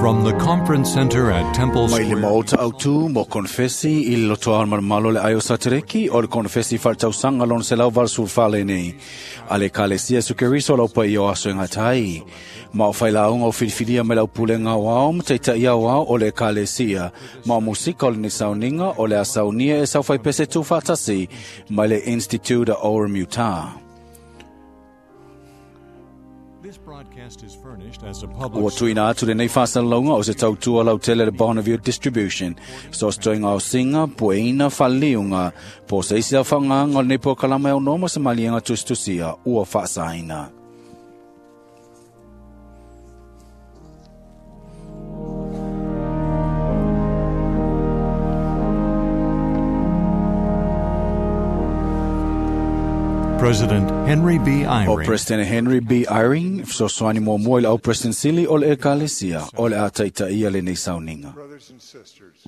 From the Conference Center at Temple Mai le Square. maota autu mo konfesi i le lotoa malamalo le aio satereki o le konfesi whaletausaga lona 184 lenei. A le Ekalesia Iesu Keriso lau pai o aso e ngatai. Ma o whailāunga o filifilia mai lau pulega o ao ma taitai au ao o le Ekalesia. Ma o musika o le sauniga o le a saunia e sau whaipese tūwhātasi mai le Institute o Orem Utah. This broadcast is furnished as a public Ua tuina atu lenei whāsalauga o se tautua lau tele le Bonneville Distribution. So stoinga o singa, pueina, whaliunga, po se isi au whanganga o lenei po kalama e o se malienga tusitusia, ua whaasaina. President Henry B. O Eyring President Henry B. Eyring, fesoasoani muamua i le au President Sili o le Ekalesia, o le a taitaia lenei sauniga. Brothers and sisters,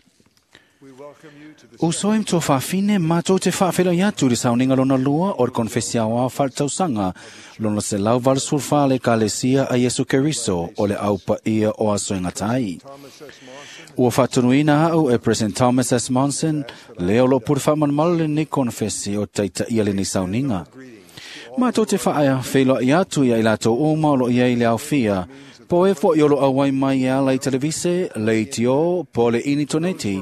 we welcome you to the Uso e mtua whawhine, mātou te whawhela i atu le sauniga lona lua o le konfesi au whaletausaga lona 184 le Ekalesia a Iesu Keriso o le au paia o aso e ngatai. Thomas S. Monson, Ua whatunuina au e President Thomas S. Monson, leo lo pure whamanamalo lenei konfesi o taitaia lenei sauniga. Mātou te whaea wheilo i atu ia i lātou uma o lo ia i le awhia. Po e fo i olo awai mai e ala i televise, le i tio, po le ini toneti.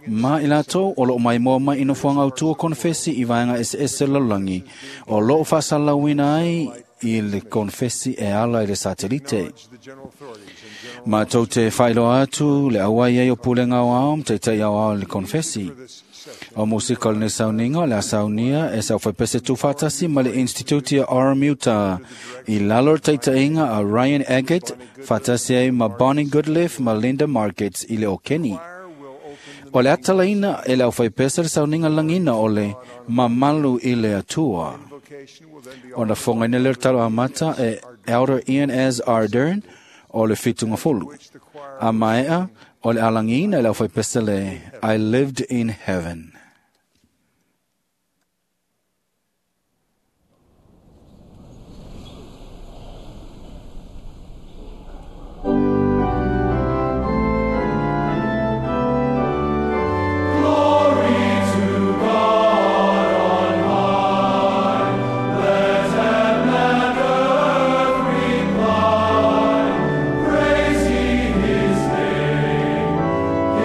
Ma i lātou o lo mai moa mai ino fuanga autua konfesi i vaenga ese lololangi. O lo whasalauina ai i le konfesi e ala i le satelite. the general authorities and general Mātou te whailoa atu le awai ai o pulenga o ao, teitai au ao le konfesi. this session. O musika o lenei sauniga o le a saunia e sau whaipese tūwhātasi ma le Institute a Orem Utah. I lalo le taitaiga a Ryan Eggett, whātasi ai ma Bonnie Goodliff ma Linda Markets i le o Kenny. Choir will open the O le atalaina e le au whaipese le sauniga langina o le mamalu i le atua. invocation will then be O na whongaina le talo amata e Elder Ian S. Ardern o le whitunga folu. which the choir A maea o le alangina e le au whaipese le I Lived in Heaven.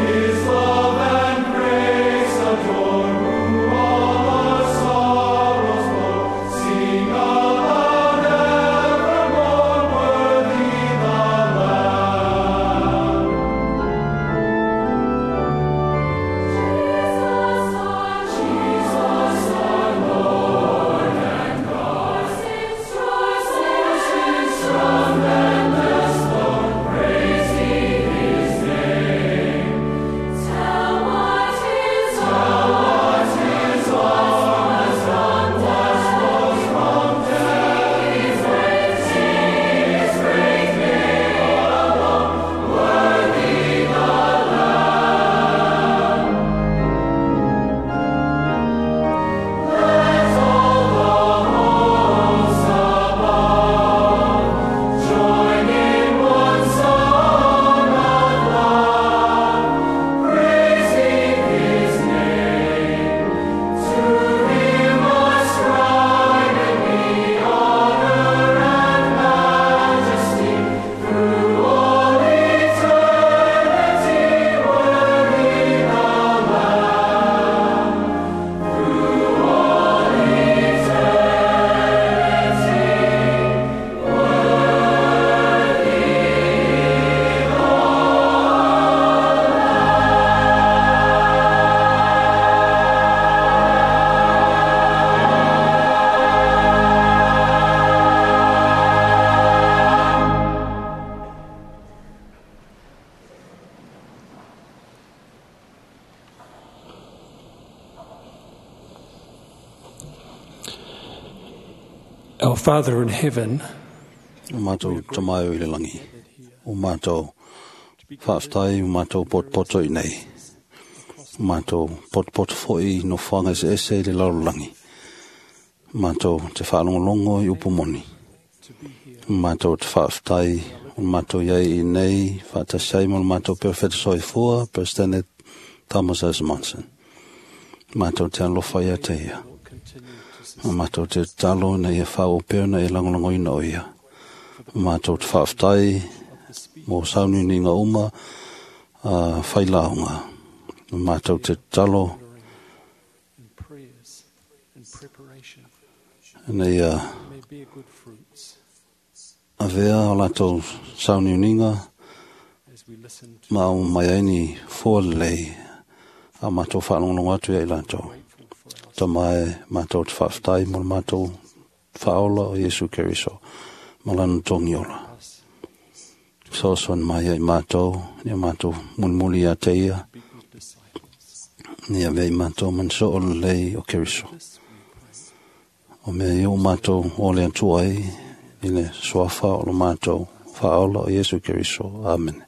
His love and grace adore. Our Father in heaven, O mātou tamaio i le langi. O mātou whaaftai, o mātou potpoto i nei. O mātou potpoto foi no whanga se ese i le lalolangi. O mātou te whaalongolongo i upu moni. O mātou te whaaftai O le matou i ai i nei faatasi ai ma le matou Perofeta soifua, Peresetene Thomas S. Monson. Matou te alofa ia te ia. Ma matou te tatalo ina ia faaauau pea ona e lagolagoina o ia. Ma matou te faafetai mo sauniuniga uma a failauga. Ma matou te tatalo ina ia avea o latou sauniuniga ma au mai ai ni fua lelei a matou faalogologo atu ia i latou. Tama e matou te faafetai mo le matou faaola o Iesu Keriso ma lana togi ola. Fesoasoani mai ia i matou, ia matou mulimuli ia te ia, ina ia avea i matou ma ni soo lelei o Keriso. O mea ia ua matou ole atu ai i le suafa o le matou faaola o Iesu Keriso. Amene.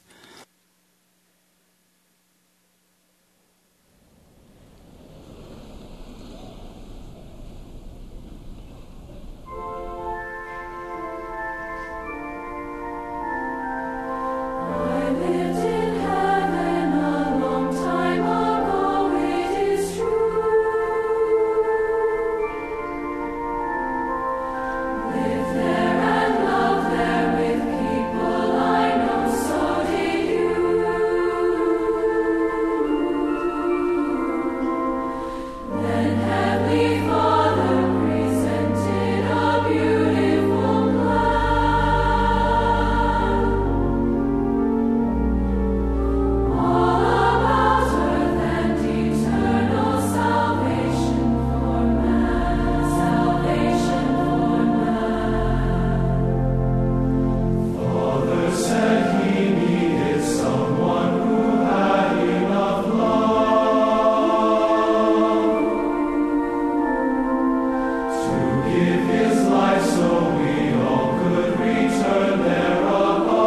I lived in heaven a long time ago, it is true. Lived there and loved there with people I know, so did you. Then Heavenly Father presented a beautiful plan. All about earth and eternal salvation for man, salvation for man. Father said he needed someone who had enough love to give his life so we all could return there above.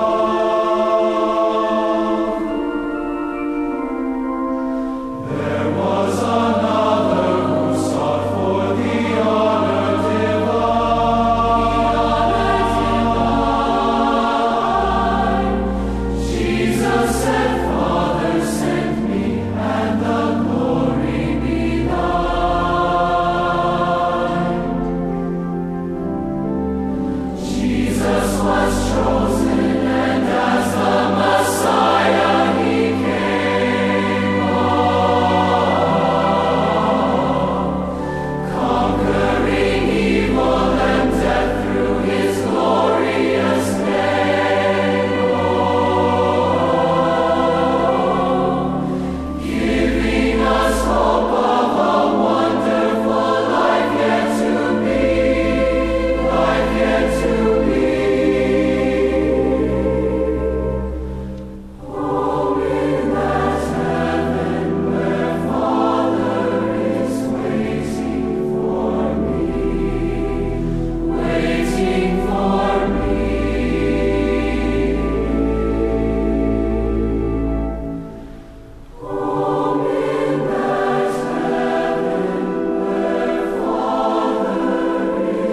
There was another who sought for the honor divine. Jesus said, Father, send me, and the glory be thine. Jesus was chosen, and as the Messiah he came, conquering evil and death through his glorious name. Giving us hope of a wonderful life yet to be, life yet to be. Home in that heaven where Father is waiting for me, waiting for me. Home in that heaven where Father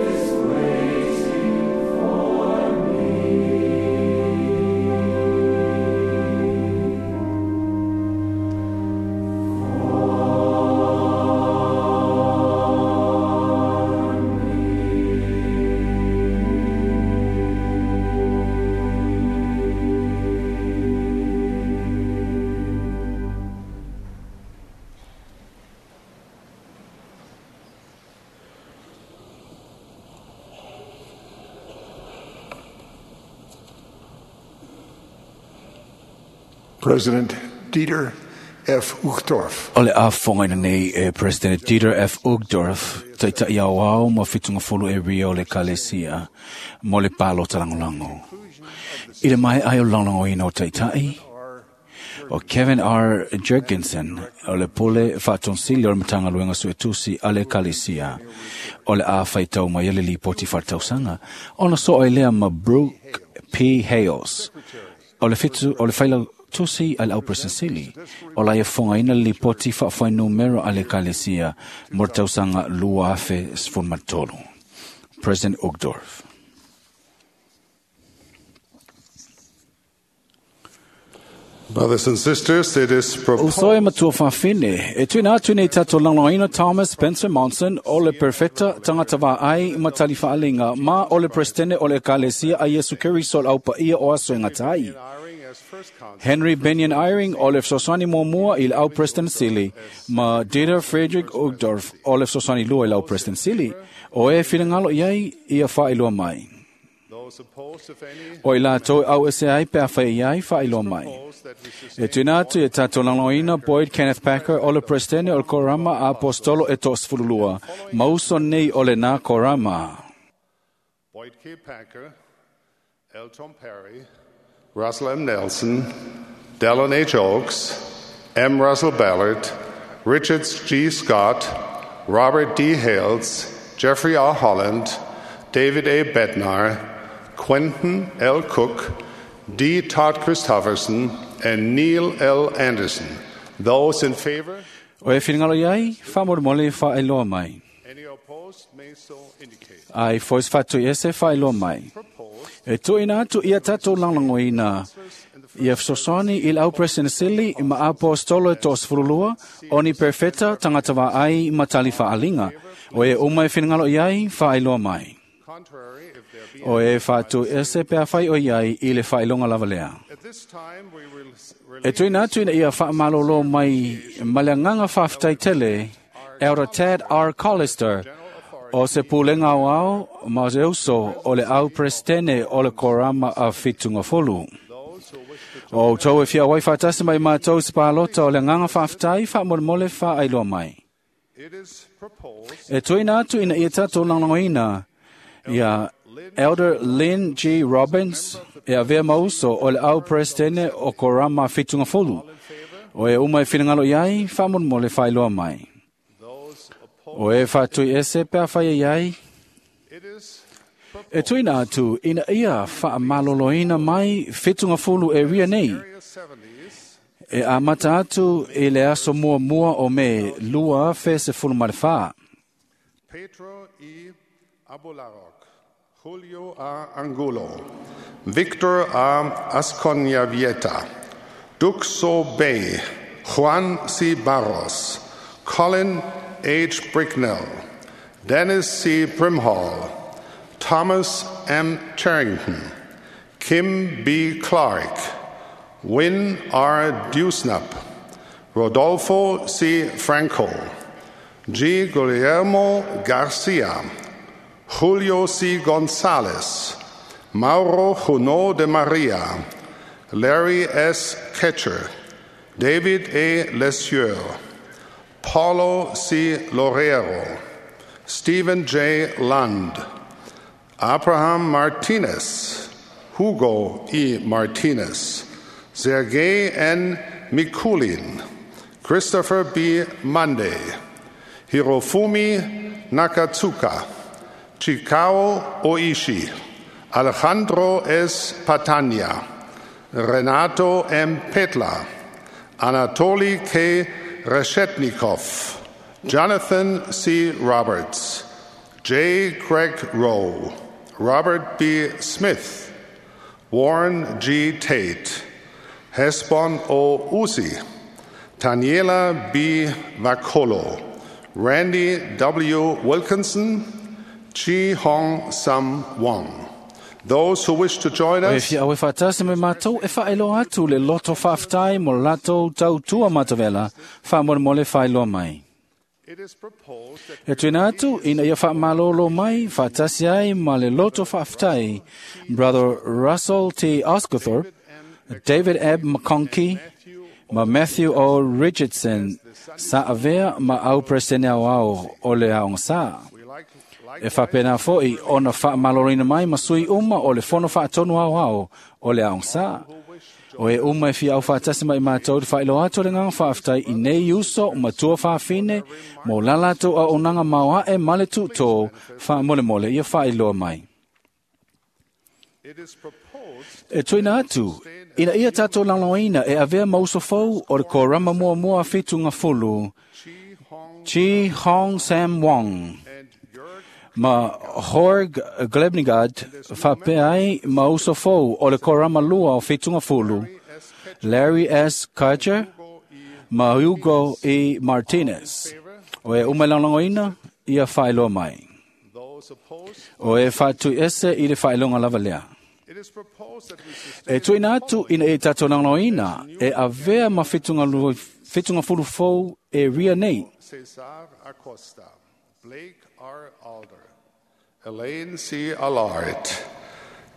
is waiting for me. President Dieter F. Uchtdorf. O le afogaina nei e President Dieter F. Uchtdorf, taita'i aoao ma fitugafulu e ria o le Ekalesia mo le palota lagolago. I le mae'a ai o le lagolagoina o taita'i, o Kevin R. Jurgensen o le pule faatonsili o le Matagaluega Suetusi a le Ekalesia o le a faitau mai ai le lipoti faaletausaga ona so'o ai lea ma Brooke P. Hales o le fitu o le failautusi a le auperesenesili o la ia fofogaina le lipoti faafuainumera a le Ekalesia mo le tausaga 2013. President Uchtdorf. Brothers and sisters, it is proposed. Uso e matua whawhine, e tuina atu nei tātou langloina Thomas Spencer Monson o le perfecta tangata vā ai matali whaalinga ma o le presidente o le ekalesia a Yesu Keriso au paia o aso e ngatai. Henry Benyon Eyring o le fesoasoani muamua i le au President Sili ma Dieter Frederick Uchtdorf o le fesoasoani lua i le au President Sili o e whilingalo iai ia whailua mai. O i lātou au ese ai pe a whai iai whailua mai. E tuina atu e tātou langloina Boyd Kenneth Packer o le Presidente o le Korama a Apostolo e toʻasefululua mauso nei o le nā Korama. Boyd K. Packer, L. Tom Perry, Russell M. Nelson, Dallin H. Oaks, M. Russell Ballard, Richard G. Scott, Robert D. Hales, Jeffrey R. Holland, David A. Bednar, Quentin L. Cook, D. Todd Christofferson, and Neil L. Anderson. Those in favor? O e whiringalo iai, whamoremole whaeloa mai. Any opposed may so indicate. Ai fois whatu ese whaeloa mai. E tuina atu ia tātou langlangoina. Ia fesoasoani i le au President Sili ma apostolo e toʻasefululua, o ni perfeta tagata vaai ma tali faaalinga. O e uma e finagalo i ai, faailoa mai. O e faatu ese pe afai o iai i le faailoga lava lea. E tuina atu ina ia faamalōlō mai ma le agaga faafetai tele, Elder Tad R. Collister, o se pulega aoao ma se uso o le au presidente o le Korama a Fitungafolu. O outou e fia auai faatasi mai matou se palota o le agaga faafetai faamolemole faailoa mai. E tuina atu ina ia tatou lagolagoina ia Elder Lynn G. Robbins e avea mauso o le au presidente o Korama Fitungafolu. O e uma e finagalo iai faamolemole faailoa mai. O e whātui ese pea whai ai. E tuina atu ina ia whaamaloloina mai Fitungafulu e ria nei. E amata atu i le aso mua mua o me 2014. Pedro E. Abularok, Julio A. Angulo, Victor A. Asconyavieta, Duxo Bay, Juan C. Barros, Colin H. Bricknell, Dennis C. Brimhall, Thomas M. Charrington, Kim B. Clark, Wynne R. Dewsnup, Rodolfo C. Franco, G. Guillermo Garcia, Julio C. Gonzalez, Mauro Junot de Maria, Larry S. Ketcher, David A. Lesieur, Paulo C. Loureiro, Stephen J. Lund, Abraham Martinez, Hugo E. Martinez, Sergei N. Mikulin, Christopher B. Monday, Hirofumi Nakatsuka, Chikao Oishi, Alejandro S. Patania, Renato M. Petla, Anatoly K. Reshetnikov, Jonathan C. Roberts, J. Craig Rowe, Robert B. Smith, Warren G. Tate, Hesbon O. Uzi, Taniela B. Vakolo, Randy W. Wilkinson, Chi Hong Sam Wong. Those who wish to join O e us, fia au e whaatasi me mātou e whaeloa atu le loto whaaftai mo latou tautua matavela whaamolemole whaeloa mai. E tuina atu ina ia whaamalolo mai whaatasi ai ma le loto whaaftai Brother Russell T. Oscarthorpe, David Ebb McConkie, ma Matthew O. Richardson sa avea ma au presene au ao o le aonga sa. E whapena foi ona whaamalorina mai ma sui uma o le fono whaatonu au ao o le aonga sa. O e uma e fia au whaatasi mai mātou te whailo atu le nganga whaaftai i nei uso matua whaafine mo lalato a onanga maoa e male tūtō whaamolemole ia whailoa mai. E tuina atu, ina ia tātou langloina e avea mauso fou o le korama mua mua whitu ngā Chi Hong Sam Wong. Ma Jorg Glebnigad whapea ai mauso fou o le korama lua o whitu ngā fulu. Larry S. Carter ma Hugo E. Martinez. O e uma lagolagoina ia faailoa mai. O e faatuiese i le faailoga lava lea. E tuuina atu ina ia tatou lagolagoina e avea ma fetugafulu fou e ria nei. Cesar Acosta, Blake R. Alder, Elaine C. Allard,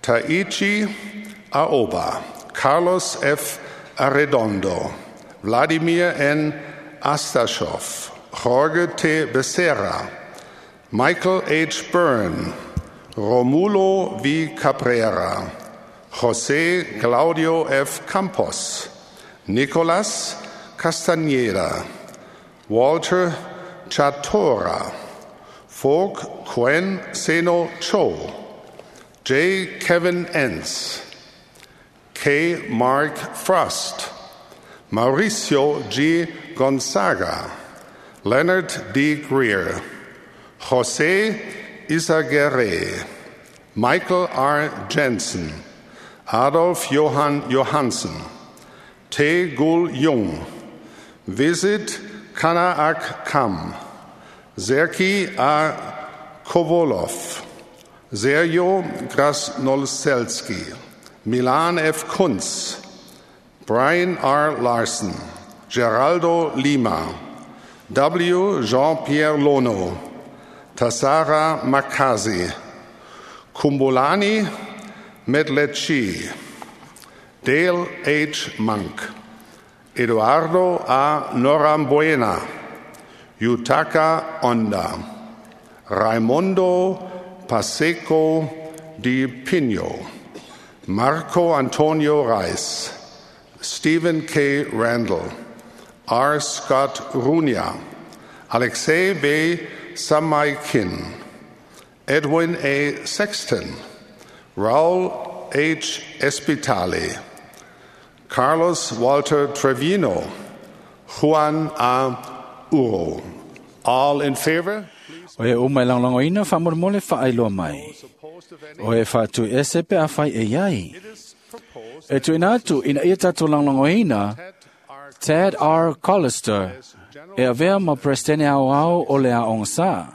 Taichi Aoba, Carlos F. Arredondo, Vladimir N. Astashov, Jorge T. Becerra, Michael H. Byrne, Romulo V. Cabrera, José Claudio F. Campos, Nicolas Castañeda, Walter Chatora, Folk Quen Seno Cho, J. Kevin Entz, K. Mark Frost, Mauricio G. Gonzaga, Leonard D. Greer, Jose Izaguirre, Michael R. Jensen, Adolf Johann Johansen, Tae Gul Jung, Visit Kanaak Kam, Zerki A. Kovolov, Sergio Krasnoselski, Milan F. Kunz, Brian R. Larson, Geraldo Lima, W. Jean-Pierre Lono, Tassara Makazi, Kumbolani Medlechi, Dale H. Monk, Eduardo A. Norambuena, Yutaka Onda, Raimondo Paseco di Pino, Marco Antonio Reis, Stephen K. Randall, R. Scott Runia, Alexei V. Samaikin, Edwin A. Sexton, Raul H. Espitale, Carlos Walter Trevino, Juan A. Uro. All in favor? O e uma e lagolagoina faamolemole faailoa mai. O e faatuiese pe afai e iai. E tuuina atu ina ia tatou lagolagoina Ted R. Collister e avea ma Peresetene Aoao o le Aoga Sā.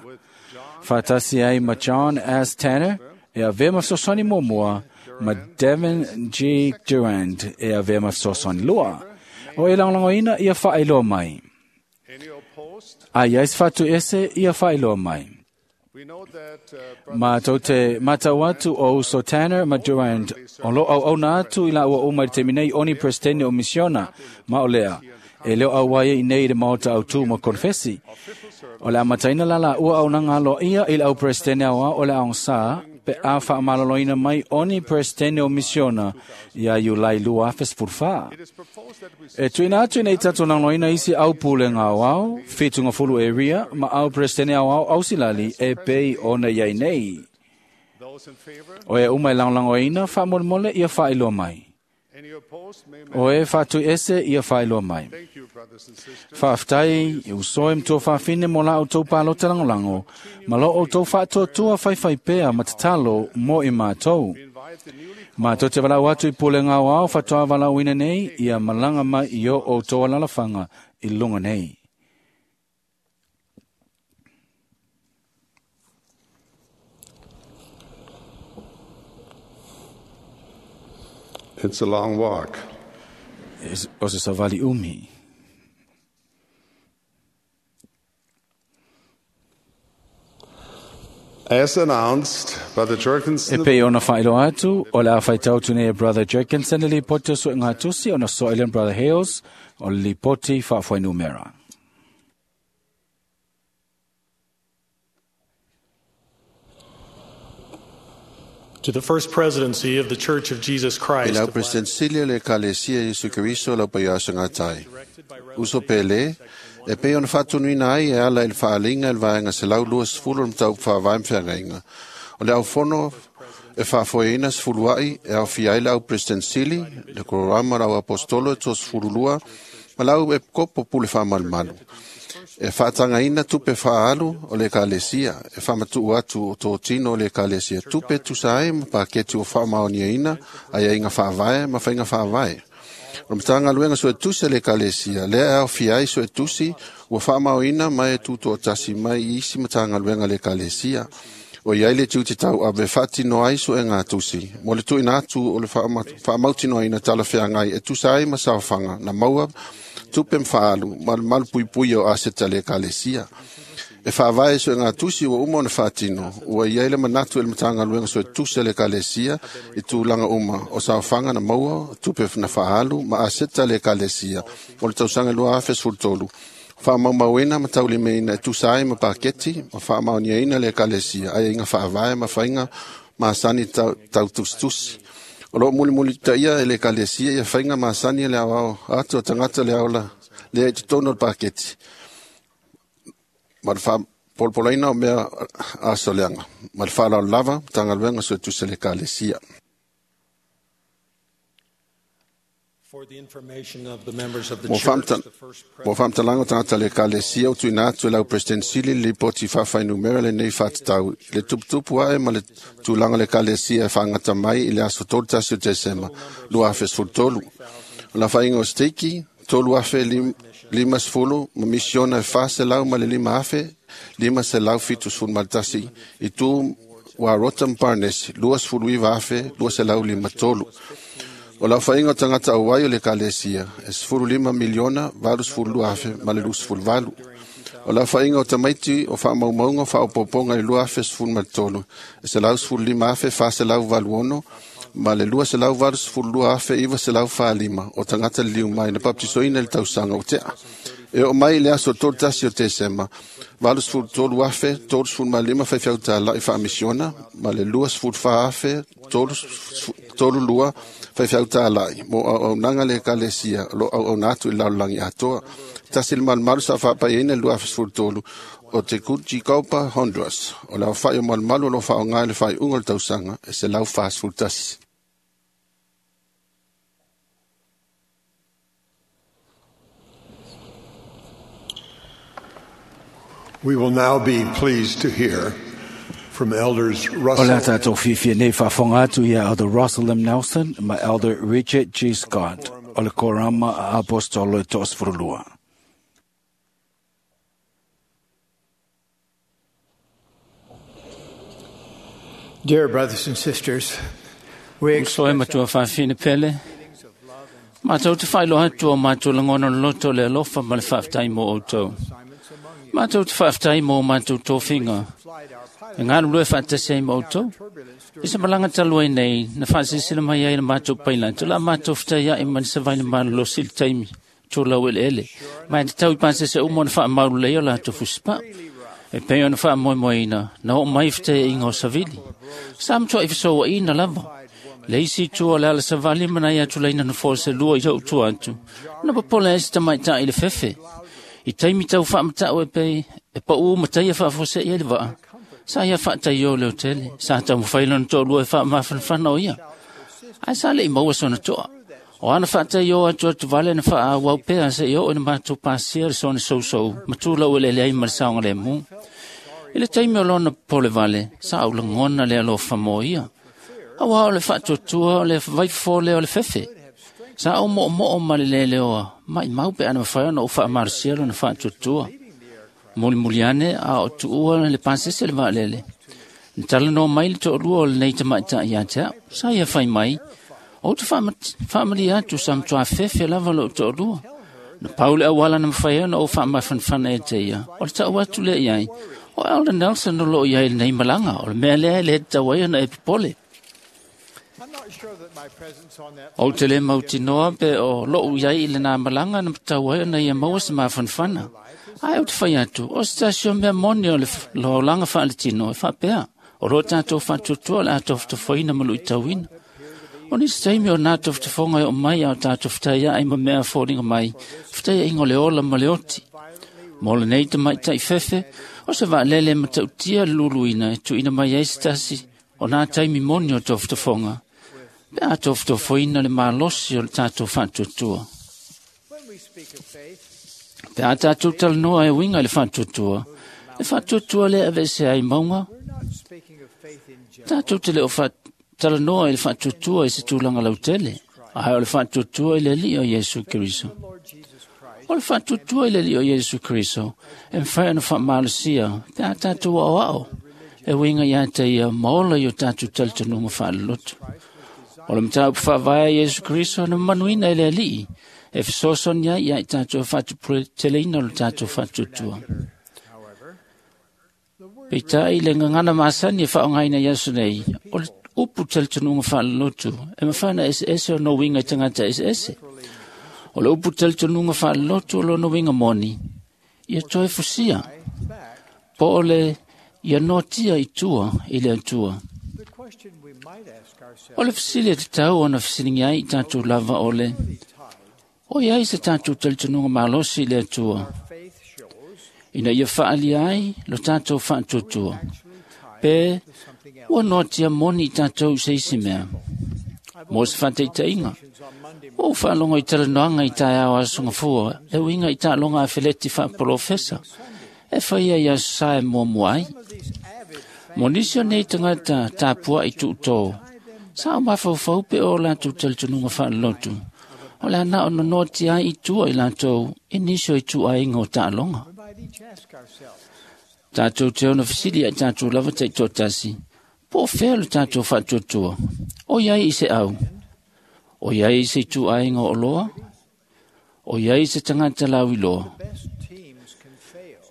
Faatasi ai ma John S. Tanner e avea ma fesoasoani muamua ma Devin G. Durand e avea ma fesoasoani lua. O e lagolagoina ia faailoa mai. A ia se faatuiese ia faailoa mai. Matou te matau atu o uso Tanner ma Durand o lo auauna atu i laua uma i le taimi nei oni Peresetene o Misiona ma o lea e leo auai ai nei i le maota autū ma konfesi. O le amataina la laua auaunaga aloaia i le au Peresetene Aoao o le Aoga Sā pe a faamaloloina mai oni Peresetene o Misiona ia Iulai 2014. E tuuina atu ina ia tatou lagolagoina isi au pulega aoao, fetugafulu e ria ma au Peresetene Aoao Ausilali e pei ona iai nei. O e uma e lagolagoina faamolemole ia faailoa mai. O e faatuiese ia faailoa mai. Faafetai i uso e matua faafine mo la outou palota lagolago, ma lo outou faatuatua faifaipea ma tatalo mo i matou. Matou te valaau atu i pulega aoao faatoa valaauina nei ia malaga mai i o outou alalafaga i luga nei. It's a long walk. O se savali umi. As announced by the E Jerkinson pei ona faailoa atu, o le a faitau atu nei e Brother Jerkinson le lipoti o suega tusi ona soa i Brother Hales o le lipoti faafuainumera. To the First Presidency of the Church of Jesus E Christ lau of President Silia le Ekalesia Iesu Keriso lau paiaso ngatai. Uso pele, e pei ona faatunuina ai e ala i le faaaleiga i le vaega 120 o le mataupu faavae ma feagaiga. O le aufono e faafoeina sefulua'i e aofia ai le au President Sili, le Kororama lau Apostolo e 32, ma lau Epikopo pule faamalumalu. E faatagaina tupe faaalu o le Ekalesia, e faamatuu atu o totino o le Ekalesia tupe tusa ai ma paketi o faamaoniaina aiaiga faavae ma faiga faavae. O le Matagaluega Suetusi a le Ekalesia, lea e aofia ai suetusi ua faamaoina ma e tutoatasi mai i isi Matagaluega a le Ekalesia. O i ai le tiute tauave e faatino ai suega tusi mo le tuuina atu o le faamautinoaina talafeagai e tusa ai ma saofaga na maua tupe ma faaalu ma le malupuipuia o aseta a le Ekalesia. E faavae suega tusi ua uma ona faatino, ua i ai le manatu e le Matagaluega Suetusi a le Ekalesia i tulaga uma o saofaga na maua, tupe na faaalu ma aseta a le Ekalesia mo le tausaga 2013, faamaumauina ma taulimaina e tusa ai ma paketi ma faamaoniaina le Ekalesia, aiaiga faavae ma faiga masani tautusitusi. O loo mulimulitaia e le Ekalesia ia faiga masani le aoao atu o tagata le aola lea i totonu o le paketi ma le faapolopolaina o mea asoleaga. Ma le faaaloalo lava, Matagaluega Suetusi a le Ekalesia. For the information of the members of the Mo church, the first faamatalaga o tagata le Ekalesia o tuuina atu e lau President Sili le lipoti faafainumera lenei faatatau i le tuputupu ae ma le tulaga o le Ekalesia e faagata mai i le aso 31 o Tesema 2013. O le aofaiga o steiki 3,050 ma misiona e 405,571 i tu Warota ma Parnesi 29,253. O le aofaiga o tagata auai o le Ekalesia e 15,082,028. O le aofaiga o tamaiti o faamaumauga o faaopoopoga i le 2013 e 115,486 ma le 282,945 o tagata liliu mai na baptisoina i le tausaga ua tea. E oo mai i le aso 31 o Tesema, 83,035 faifeau tāla'i faamisiona ma le 24,032 faifeau tāla'i mo auaunaga le Ekalesia o lo o auauna atu i le lalolagi atoa. 188 sa faapaiaina i le 2013 o Tegucigalpa, Honduras. O le aofai o malumalu o lo o faaaoga i le faaiuga o le tausaga e 141. We will now be pleased to hear from Elders O le Russell tātou fiafia nei faafofoga atu ia Elder Russell M. Nelson ma Elder Richard G. Scott o le Korama a Apostolo e 32. Dear brothers and sisters, we Uso e matua faafine pele. Mātou te whailoa atu o mātou langona loto le alofa ma le whaaftai mō outou. Mātou te whaaftai mō mātou tōwhinga. E ngā rua whaatasi ai mō outou. I sa malanga talua nei, na whaasisila mai ai na mātou paila. Tō la mātou whitai ai mani sa vaina mālo sili taimi. Tō lau ele ele. Mai te tau i pāsese umo na whaamauru lei o la tō fusipa. E pei ona whaamoemoeina, na o mai whitai inga o savili. Sa mtua i whisoa i na lava. Le isi tua le ala savali mana ia tulaina na fō se lua i au tua atu. Na papola e se tamaitai i le fefe. I taimi tau whaamatau e pei, e pa u matai e whaafose i le waa. Sa ia whaatai o le hotele, sa tau mwhaila na tō lua e whaamafanafana o ia. Ai sa le i maua sona toa. O ana whaatai o atu atu vale na whaa wau pea se i o ina mātou pāsia le sona sousou, matula ua le le ai ma le saonga le mū. I le taimi o lona pole vale, sa au langona le alofa mō ia. Aua o le whaatuatua o le vaifofo lea o le fefe. Sa au mo mo ma le lele oa, mai mau pe ana mawhai ona o whaamarasia lona whaatuatua. Muli muli ane a o tuua le pāsese le vaalele. Na tala no mai le to'olua o lenei tamaitai ia te au. Sa ia whai mai, o te whaamali atu sa mtua fefe lava lo to'olua. Na paule awala na mawhai ona o whaamafanafana e te ia. O le tau atu le iai, o Elder Nelson o lo iai lenei malanga, o le mea lea e le tau ai ona e popole. O te le mautinoa pe o lou iai i le nā malanga na matau ai ona ia maua se mafanafana. Ai o te whai atu, o se tasi o mea moni o le loaulanga whaaletino e whaapea. O lo tātou whaatuatua le a tofutafoina ma lui tauina. O nisi taimi o nā tofutafonga e o mai a o tātou whitai ai ma mea fōringa mai, whitai ai ingo le ola ma le oti. Mō le nei te maitai fefe, o se vaalele ma tautia le luluina e tuina mai ai se tasi o nā taimi moni o tofutafonga. Pe a tofutofoina le malosi o le tātou whaatuatua. Pe a tātou talanoa e winga i le whaatuatua, le whaatuatua le avese ai maunga. Tātou te leo talanoa i le whaatuatua i se tūlanga lautele. Ae o le faatuatua i le Alii o Iesu Keriso. O le faatuatua i le Alii o Iesu Keriso e mafai ona faamalosia pe a tatou aoao e uiga ia te ia ma ola i o tatou talitonuga faalelotu. O le mataupu faavae a Iesu Keriso na mamanuina e le Alii e fesoasoani ai ia i tatou e faatuputeleina o le tatou faatuatua. Peitai le gagana masani e faaaogaina i aso nei, o le upu talitonuga faalelotu e mafai ona eseese ona uiga i tagata eseese. O le upu talitonuga faalelotu o lona uiga moni, ia toe fusia, po o le ia noatia i tua i le Atua. O le fesili e tatau ona fesiligia ai i tatou lava o le, o i ai se tatou talitonuga malosi i le Atua, ina ia faaalia ai lo tatou faatuatua, pe ua noatia moni i tatou i se isi mea. Mo se faataitaiga, ua ou faalogo i talanoaga i taeao Aso Gafua e uiga i taaloga afeleti faapolofesa e faia i Aso Sa e muamua ai. Mo nisi o nei tagata tapuai tuutō, sa o mafaufau pe o latou talitonuga faalelotu, o le a na ona noatia ai i tua i latou i nisi o ituaiga o taaloga. Tatou te ono fesili ai tatou lava taitoatasi, po o fea lo tatou faatuatua, o i ai i se au, o i ai i se ituaiga o oloa, o i ai i se tagata lauiloa.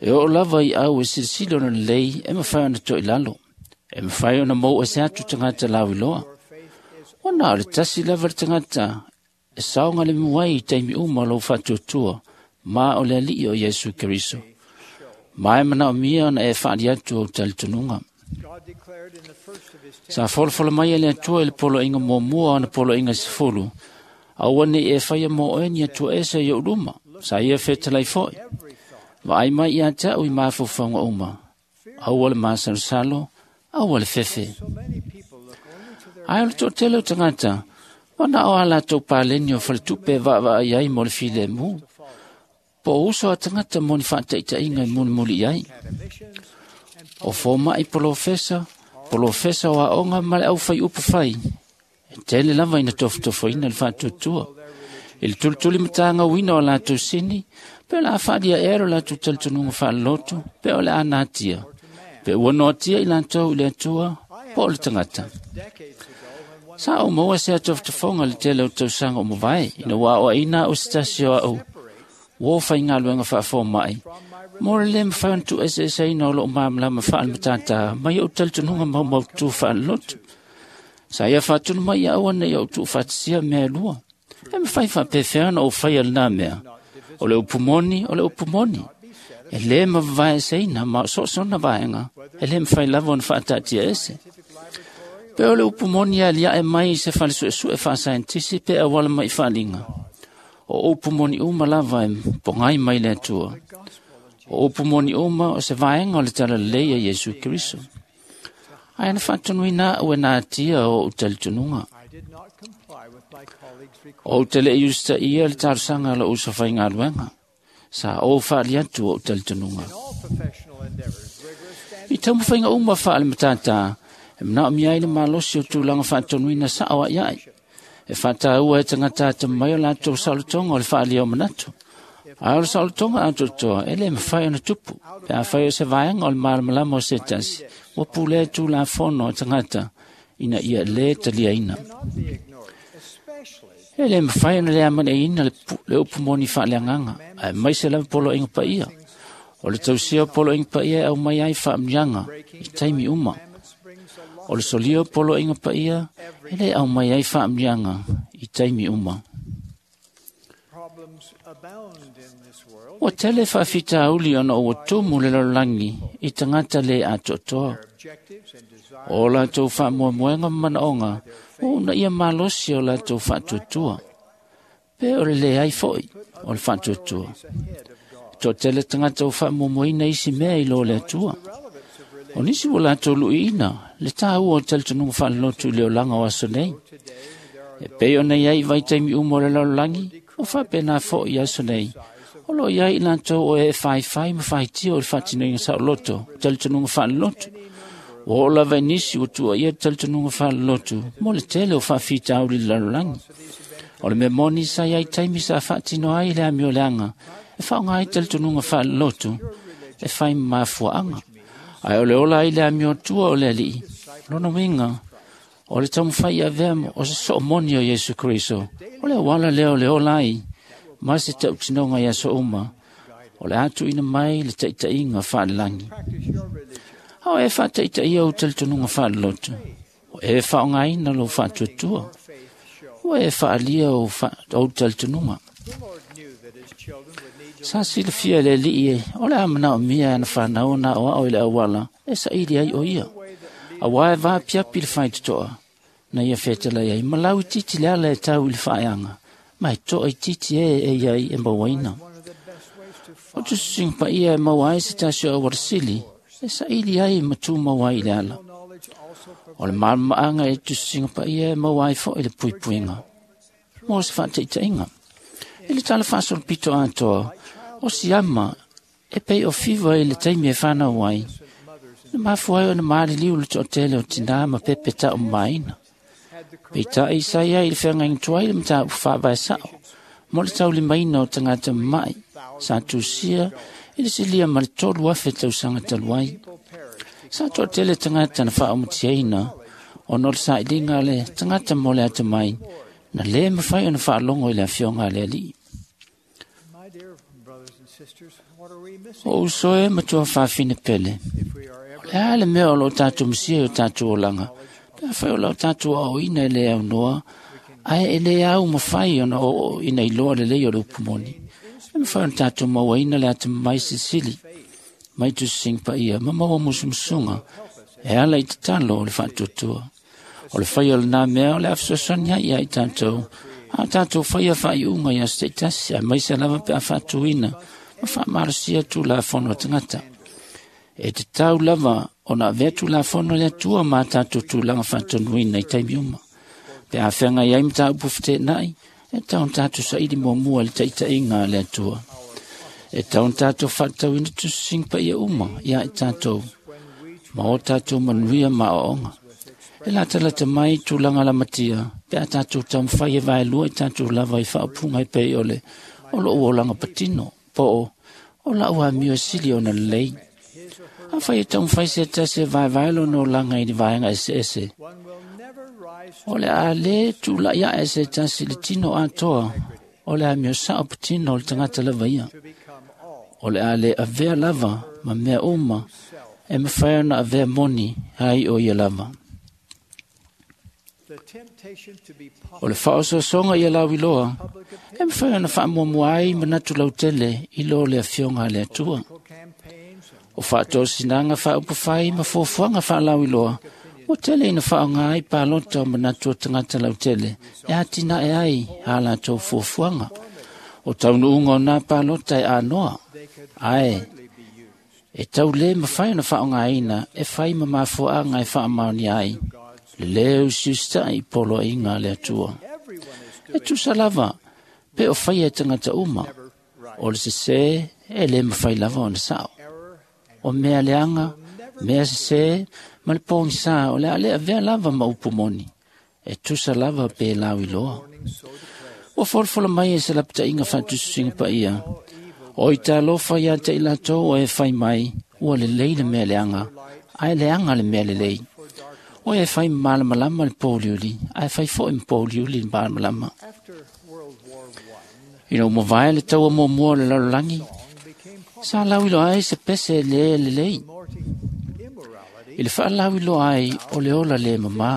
E oo lava i au e silasila ona lelei e mafai ona toilalo, e mafai ona mou ese atu tagata lauiloa. Ona o le tasi lava le tagata e saogalemu ai i taimi uma o lou faatuatua, ma o le Alii o Iesu Keriso. Ma e manaomia ona e faali atu ou talitonuga. Sa folafola mai e le Atua i le poloaiga muamua o ana poloaiga 10, aua nei e faia mo oe ni Atua ese i ou luma, sa ia fetalai foi. Vaai mai ia te au i mafaufauga uma, aua le masalosalo, aua le fefe. Ae o le toatele o tagata, ua na o a latou paleni o faletupe e vaavaai ai mo le filemu, po o uso a tagata mo ni faataitaiga e mulimuli i ai. O fomai polofesa, polofesa o aoga ma le aufai upu fai, e tele lava ina tofotofoina le faatuatua. I le tulituli matagauina o latou sini, pe o le a faalia ea lo latou talitonuga faalelotu, pe o le a natia, pe ua noatia i latou i le Atua, po o le tagata. Sa ou maua se atofotofoga le tele o tausaga o mavae, ina ua aoaina au se tasi o au, ua o faigaluega faafomai, mo le le mafai ona tuueseeseina o loo malamalama faalematata mai ou talitonuga maumaututu faalelotu. Sa ia faatunu mai ia aua nei ou tuufaatasia mea e lua. E mafai faapefea ona ou faia lenā mea. O le upu moni, o le upu moni. E lē mavavaeseina ma o soosona vaega, e lē mafai lava ona faataatia ese. Pe o le upu moni e aliae mai i se falesuesue faasaenitisi pe auala mai i faaliga. O upu moni uma lava e pogai mai le Atua. O upu moni uma o se vaega o le talalelei a Iesu Keriso. Ae na faatonuina au e natia o ou talitonuga. O ou te le i usitaia le talosaga a lou uso faigaluega. Sa ou faali atu o ou talitonuga. I taumafaiga uma faalematata, e manaomia ai le malosi o tulaga faatonuina sao aiai. E faataua e tagata atamamai o latou saolotoga o le faalia o manatu. Ae o le saolotoga atoatoa e le mafai ona tupu, pe afai o se vaega o le malamalama o se tasi, ua pulea tulafono a tagata ina ia lē taliaina. E le mafai ona le amanaia le upu moni faaleagaga, ae maise lava poloaiga paia. O le tausia o poloaiga paia e aumai ai faamanuiaga i taimi uma. O le solia o poloaiga paia e le aumai ai faamanuiaga i taimi uma. Ua tele faafitauli ona ua tumu le lalolagi i tagata le atoatoa. O latou faamoemoega ma manaoga ua uunaia malosi o latou faatuatua. Pe o le leai foi o le faatuatua. E toatele tagata ua faamoemoeina isi mea i lo le Atua. O nisi ua latou luiina le taua o talitonuga faalelotu i le olaga o aso nei. E pei ona i ai i vaitaimi uma o le lalolagi, o faapena foi i aso nei. O lo o i ai i latou o e faifai ma faitio i le faatinoina saoloto, talitonuga faalelotu. Ua oo lava i nisi ua tuuaia le talitonuga faalelotu mo le tele o faafitauli i le lalolagi. O le mea moni sa iai taimi sa faatino ai le amioleaga e faaaoga ai talitonuga faalelotu e fai ma mafuaaga. Ae o le ola ai le amiotua o le Alii, lona uiga o le taumafai avea o se soo moni o Iesu Keriso, o le auala lea o le ola ai ma se tautinoga i aso uma, o le a tuuina mai le taitaiga faalelagi. A o e faataitaia ou talitonuga faalelotu, o e faaaogaina lou faatuatua, ua e faaalia ou talitonuga. Sa silafia e le Alii o le a manaomia e ana fanau ona aoao i le auala e saili ai o ia. Auā e vaapiapi le faitotoa na ia fetalai ai ma lauitiiti le ala e tau i le faaeaga, ma e toaitiiti e e iai e mauaina. O tusitusiga paia e maua ai se tasi o auala sili e saili ai ma tumau ai i le ala. O le malamaaga e tusitusiga paia e maua ai foi le puipuiga mo se faataitaiga. I le tala faasolopito atoa, o siama e pei o fiva i le taimi e fanau ai, na mafua ai ona maliliu le toatele o tinā ma pepe taumamaina. Peitai sa iai i le feagaiga tuai le mataupu faavae sao mo le taulimaina o tagata mama'i sa tusia i le silia ma le 3,000 tausaga talu ai. Sa toatele tagata na faaumatiaina ona o le sailiga a le tagata mo le atamai na lē mafai ona faalogo i le afioga a le Alii. O uso e ma tuafafine pele, o le a le mea o loo tatou masia i o tatou olaga, pe afai o lau tatou aoaoina e lē aunoa, ae e lē au mafai ona oo ina iloa lelei o le upu moni. E mafai ona tatou mauaina le atamamai silisili mai tusisiga paia ma maua musumusuga e ala i tatalo o le faatuatua. O le faia o lenā mea o le a fesoasoani ai ia i tatou, a o tatou faia faaiuga i aso taitasi, aemaise lava pe a faatuina ma faamalosia tulafono a tagata. E tatau lava ona avea tulafono a le Atua ma a tatou tulaga faatonuina i taimi uma. Pe a feagai ai mataupu feteenai, e tatau ona tatou saili muamua i le taitaiga a le Atua. E tatau ona tatou faatatauina tusisiga paia uma ia i tatou ma o tatou manuia ma aoaoga. E latalata mai tulaga lamatia pe a tatou taumafai e vaelua i tatou lava i faaupuga e pei o le o lou olaga patino, po o lau amio e sili ona lelei. Afai e taumafai se tasi e vaevae lona olaga i ni vaega eseese, o le a lē tula'i aʻe se tasi i le tino atoa o le amio sao patino o le tagata lava ia. O le a lē avea lava ma mea uma e mafai ona avea moni ai o ia lava. O le faaosoosoga ia lauiloa e mafai ona faamuamua ai manatu lautele i lo le afioga a le Atua. O faatosinaga faaupufai ma fuafuaga faalauiloa ua tele ina faaaoga ai palota o manatu o tagata lautele e atinae ai a latou fuafuaga. O taunuuga o nā palota e anoa, ae e tau lē mafai ona faaaogaina e fai ma mafuaaga e faamaonia ai le lē usiusitaʻi i poloaiga a le Atua. E tusa lava pe o faia e tagata uma, o le sesē e lē mafai lava ona sao. O mea leaga, mea sesē ma le pogisā o le a lē avea lava ma upu moni, e tusa lava pe lauiloa. Ua folafola mai e se lapataiga faatusitusiga paia, o i talofa iā te i latou o e fai mai, ua lelei le mea leaga, ae leaga le mea lelei. O e fai ma malamalama le pouliuli, ae fai foi ma pouliuli le malamalama. Ina ua mavae le taua muamua o le lalolagi, sa lauiloa ai se pese lē lelei. I le faalauiloa ai o le ola lē mamā.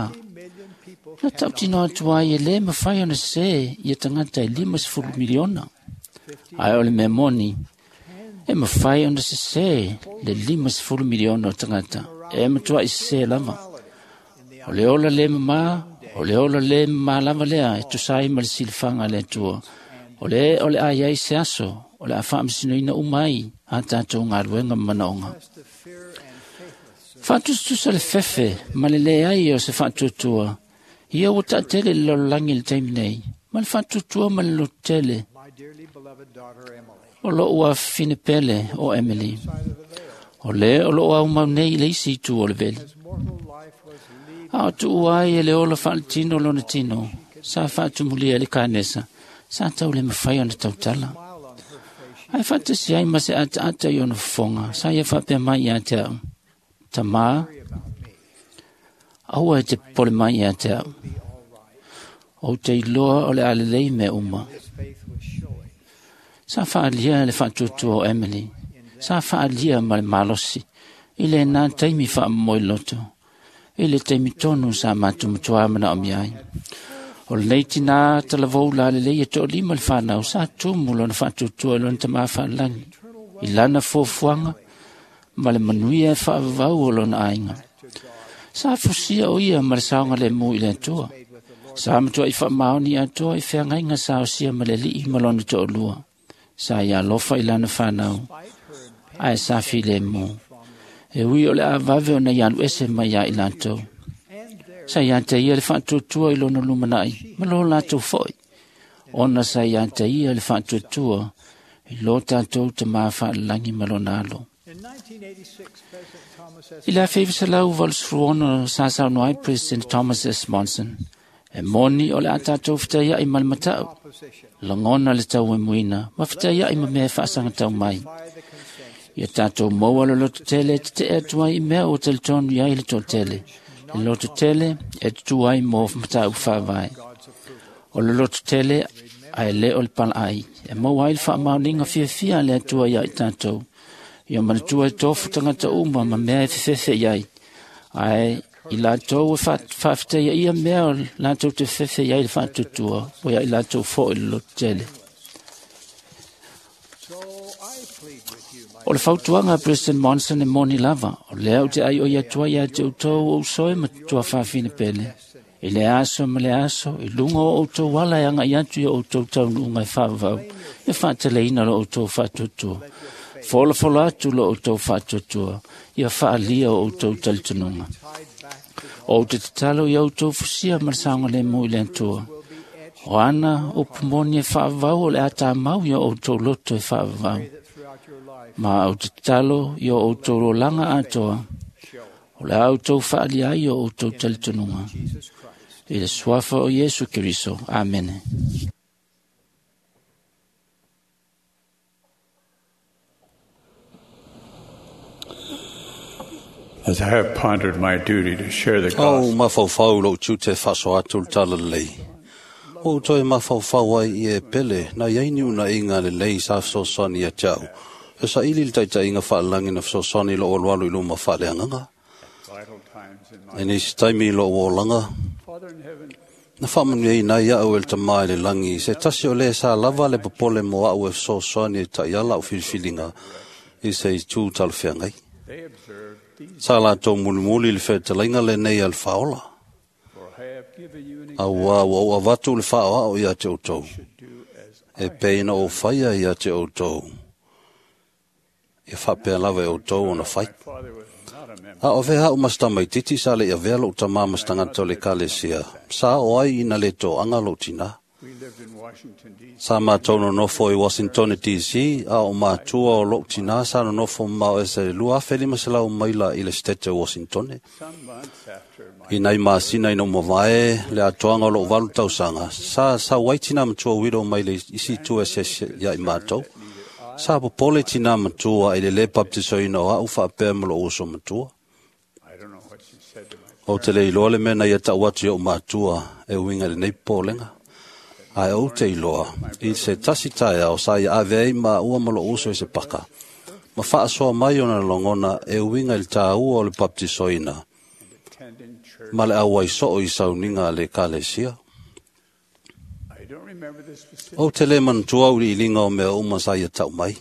Na tautino atu ai e lē mafai ona sesē ia tagata e 50 miliona. Ae o le mea moni, e mafai ona sesē le 50 miliona o tagata, e matuai sesē lava. O le ola lē mamā, o le ola lē mamā lava lea e tusa ai ma le silafaga a le Atua. O le o le a iai se aso, o le a faamasinoina uma ai a tatou galuega ma manaoga. Faatusatusa le fefe ma le leai o se faatuatua, ia ua taatele i le lalolagi i le taimi nei, ma le faatuatua ma le lototele o lou afafine pele o Emily. O lē o loo aumau nei i le isi itu o le veli. A o tuua ai e le ola faaletino lona tino, Sa faatumulia i le kanesa, sa tau le mafai ona tautala. Ae faatasi ai ma se ataata i ona fofoga, sa ia faapea mai ia te au, Tamā, aua e te popole mai ia te au. Ou te iloa o le a lelei mea uma. Sa faaalia le faatuatua o Emily. Sa faaalia ma le malosi i lenā taimi faamomoe loto, i le taimi tonu sa matou matuā manaomia ai. O lenei tinā talavou lalelei e toalima le fanau sa tumu lona faatuatua i lona tamā faalagi, i lana fuafuaga ma le manuia e faavavau o lona aiga. Sa fusia o ia ma le saogalemu i le Atua. Sa matuai faamaoni atoa i feagaiga sa osia ma le Alii ma lona toalua. Sa ia alofa i lana fanau, ae sa filemu. E ui o le a vave ona ia alu ese mai ia i latou. Sa ia te ia le faatuatua i lona lumanai, ma lo latou foi. Ona sa ia te ia le faatuatua i lo tatou tamā faalelagi ma lona alo. I le 1986 sa saunoa ai President Thomas S. Monson, e moni o le a tatou fetaiai ma le matau, lagona le tauemuina ma fetaiai ma mea e faasagatau mai. Ia tatou maua le lototele e tetee atu ai i mea ua talitonu i ai le toatele, le lototele e tutū ai mo mataupu faavae. O le lototele ae le o le palaai, e maua ai le faamaoniga fiafia a le Atua ia i tatou. Ia manatua e tofu tagata uma ma mea e fefefe i ai, ae i latou e faafetaia ia mea o latou te fefefe i ai le faatuatua, ua ia i latou foi le lototele. O le fautuaga a President Monson e moni lava, o lea ou te aioi atu ai ia te outou o uso e ma tuafafine pele, i le aso ma le aso, i luga o outou ala e agai atu i o outou taunuuga e faavavau, e faateleina lo outou faatuatua. Folafolo atu lo outou faatuatua, ia faalia o outou talitonuga. Ou te tatalo ia outou fusia ma le saogalemu i le Atua. O ana upu moni e faavavau o le a tamau ia outou loto e faavavau. Ma ou te tatalo ia outou lolaga atoa, o le a outou faalia ai o outou talitonuga. I le suafa o Iesu Keriso. Amene. As I have pondered my duty to share the Au gospel, mafaufau lou tiute faasoa atu le tala lelei. O outou e mafaufau ai i e pele, na iai ni unaiga lelei sa fesoasoani ia te au. E saili le taitaiga faalelagi na fesoasoani i lou alualu i luma faaleagaga. vital times in my E nisi taimi i lou olaga, Father in heaven, na faamanuiaina ai au e le tamā i le lagi, se tasi o le sa lava le popole mo au e fesoasoani e taiala au filifiliga i se itu talafeagai. they observed these, Sa latou mulimuli le fetalaiga lenei a le faaola. for I have given you an Auā ua ou avatu le faaoao ia te outou, should do as e pei na ou faia ia te outou. Ia faapea lava e outou ona fai. my father was not a member. A o vea au ma se tamaititi sa le avea lou tamā ma se tagata o le ekalesia, sa o ai ina le toaga lou tinā. We lived in Washington, D.C. Sa matou nonofo i Washington DC, a o matua o lou tinā sa nonofo mamao ese le 2500 maila i le sitete o Washington. Some months after my I nai masina ina ua mavae le atoaga o lou valu tausaga, sa sau ai tinā matua uilo mai le isi itu eseese ia i matou. Sa popole tinā matua i le lē baptisoina o au faapea ma lou uso matua. I don't know what she said to my Ou te le iloa le mea na ia tau atu i ou matua e uiga i lenei popolega. Ae ou te iloa, i se tasi taeao sa ia ave ai maua ma lou uso i se paka. Ma faasoa mai ona lagona e uiga i le tāua o le baptisoina attending church. ma le auai soo i sauniga a le ekalesia. I don't remember the specific Ou te le manatua uliiliga o mea uma sa ia tau mai.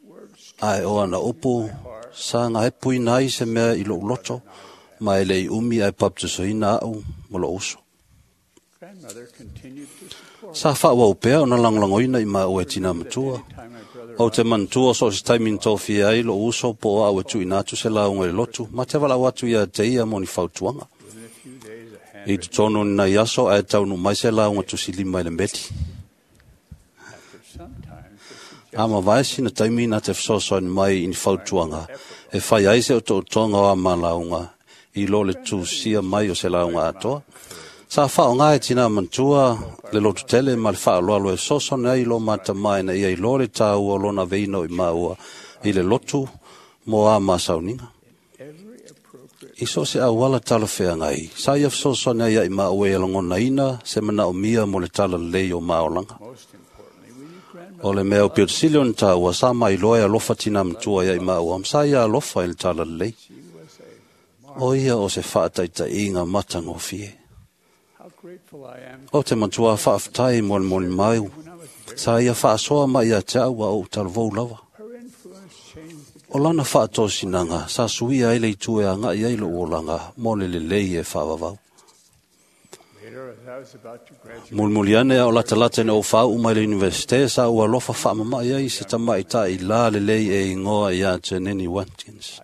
words. Ae o ana upu, sa gaepuina ai se mea i lou loto, ma e lei umi ae baptisoina au ma lou uso. Grandmother continued to support Sa faauau pea ona lagolagoina i maua e tinā matua. time my brother Ou te manatua so o se taimi na tofia ai lou uso po o au e tuuina atu se lauga i le lotu, ma te valaau atu ia te ia mo ni fautuaga. within a few days a I handwritten totonu ni nai aso ae taunuu mai se lauga tusilima i le meli. after some time the A mavae sina taimi na te fesoasoani mai i ni fautuaga, e fai ai se otootoga o a malauga i lo le tusia mai o se lauga atoa. Sa whaonga e tina matua le lotu tele ma le whaaloalo e soso nei lo mata mai na ia i lo le tāua o lona veina o i maua i le lotu mo a masauniga. I so se awala tala whea ngai, sa ia soso nei ia i maua e langona ina se mana o mia mo le tala lei o maolanga. O le mea o pio sili o tāua sa mai loa e alofa tina matua ia i maua, sa ia alofa i le tala lei. O ia o se whaataita inga matangofie. O te matua whaaftai mo le moni mai, sa ia whaasoa mai ia te aua o talavou lava. O lana whaatosinanga, sa suia ele i tue a ngai eilo o langa, mo le lelei e whaavavau. Mulmuliane a o lata lata na o whau mai le universite, sa ua lofa whaamamai ai se tamai tai la lelei e ingoa ia te Nini Watkins.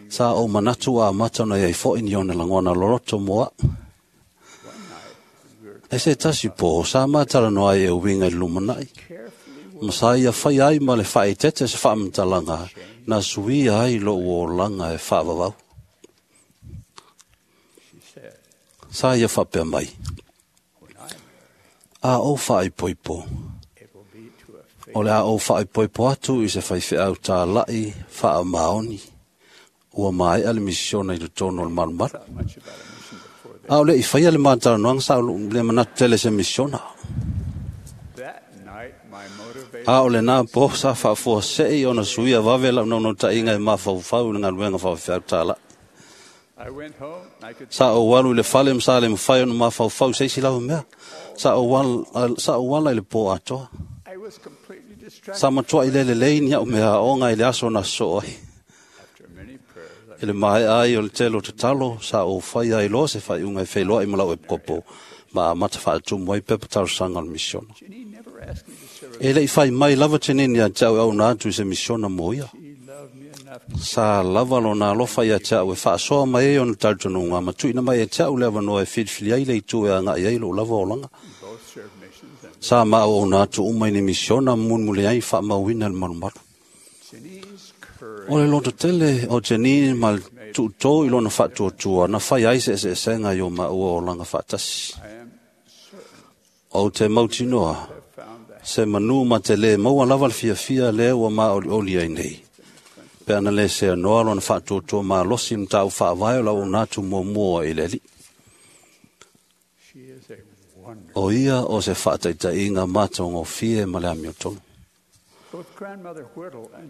Sa o manatu a mata na iai fo ini ona langona loroto moa. E se tasi po, sa matala no ai e winga i lumanai. Ma sa ia whai ai ma le whae tete se whaamatalanga, na suia ai lo o langa e whaavavau. Sa ia whapea mai. A o whae poipo. O le a o whae poipo atu i se whai wheau tā lai, whaa maoni. Ua mai ale misiona i tono o le malumalu. A o le i whaia le mātara noanga sa o le manatu tele se misiona. A o le nā po sa whaafua sei o na suia vave lau nono ta inga e mawhauwhau i ngā luenga whawhiau tā lai. Sa o walu i le whale msa le mwhai o na mawhauwhau seisi lau mea. Sa o wala i le pō atoa. Sa matua i lele leini au mea onga i le aso na so ai. I le mai ai o le telo te talo, sa o whai ai loa se whai unga i whailoa i malau e kopo, ma mata whaatumu ai pepa tarosanga o le misiona. E le i whai mai lava te nini a te au au nā atu i se misiona mo ia. Sa lava lo nā lofa ia te au e whaasoa mai e ona tautonunga, ma tuina mai e te au lewa noa e whiriwhiri ai le i tue a ngai ai lo lava o langa. Sa ma o nā atu umai ni misiona munmule ai whaamauina le marumaru. O le loto tele o Janine ma le tuutō i lona whaatuatua na whai ai se se senga i o maua o langa whaatasi. O te mautinoa, se manu ma te le maua lava le fiafia le ua ma oli oli ai nei. Pe ana le se anoa lona whaatuatua ma losi mtau whaavae o lau nātu mua mua i leli. O ia o se whaataita inga mātongo fie ma le amiotonu.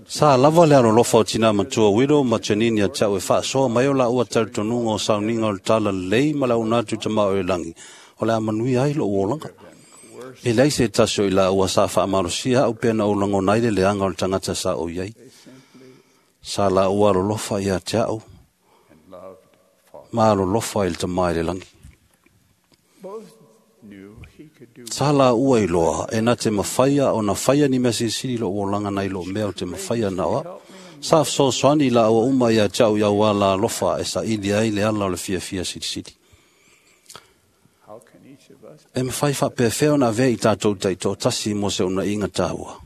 Sa lava le alo lofa o tina matua wiro ma Janine ia tau e whaasoa mai o la ua tautonuga o sauninga o le tala lei ma lau nātu ta mao e langi. O le amanui ai lo uolanga. E lei se taso i la ua sa whaamalosia au pena o lango nai le leanga o le tangata sa o iai. Sa la ua alo lofa ia te au. Ma alo lofa i le tamai le langi. Sa la ua i loa, e nā te mawhaia o na whaia ni mea sisiri lo uolanga nei lo mea o te mawhaia na oa. Sa whsosoani la ua uma ia te au ia ua la lofa e sa ili ai le ala o le fia fia sirisiri. E mawhai whapewheo na vea i tātou teito tasi mo se una inga tāua.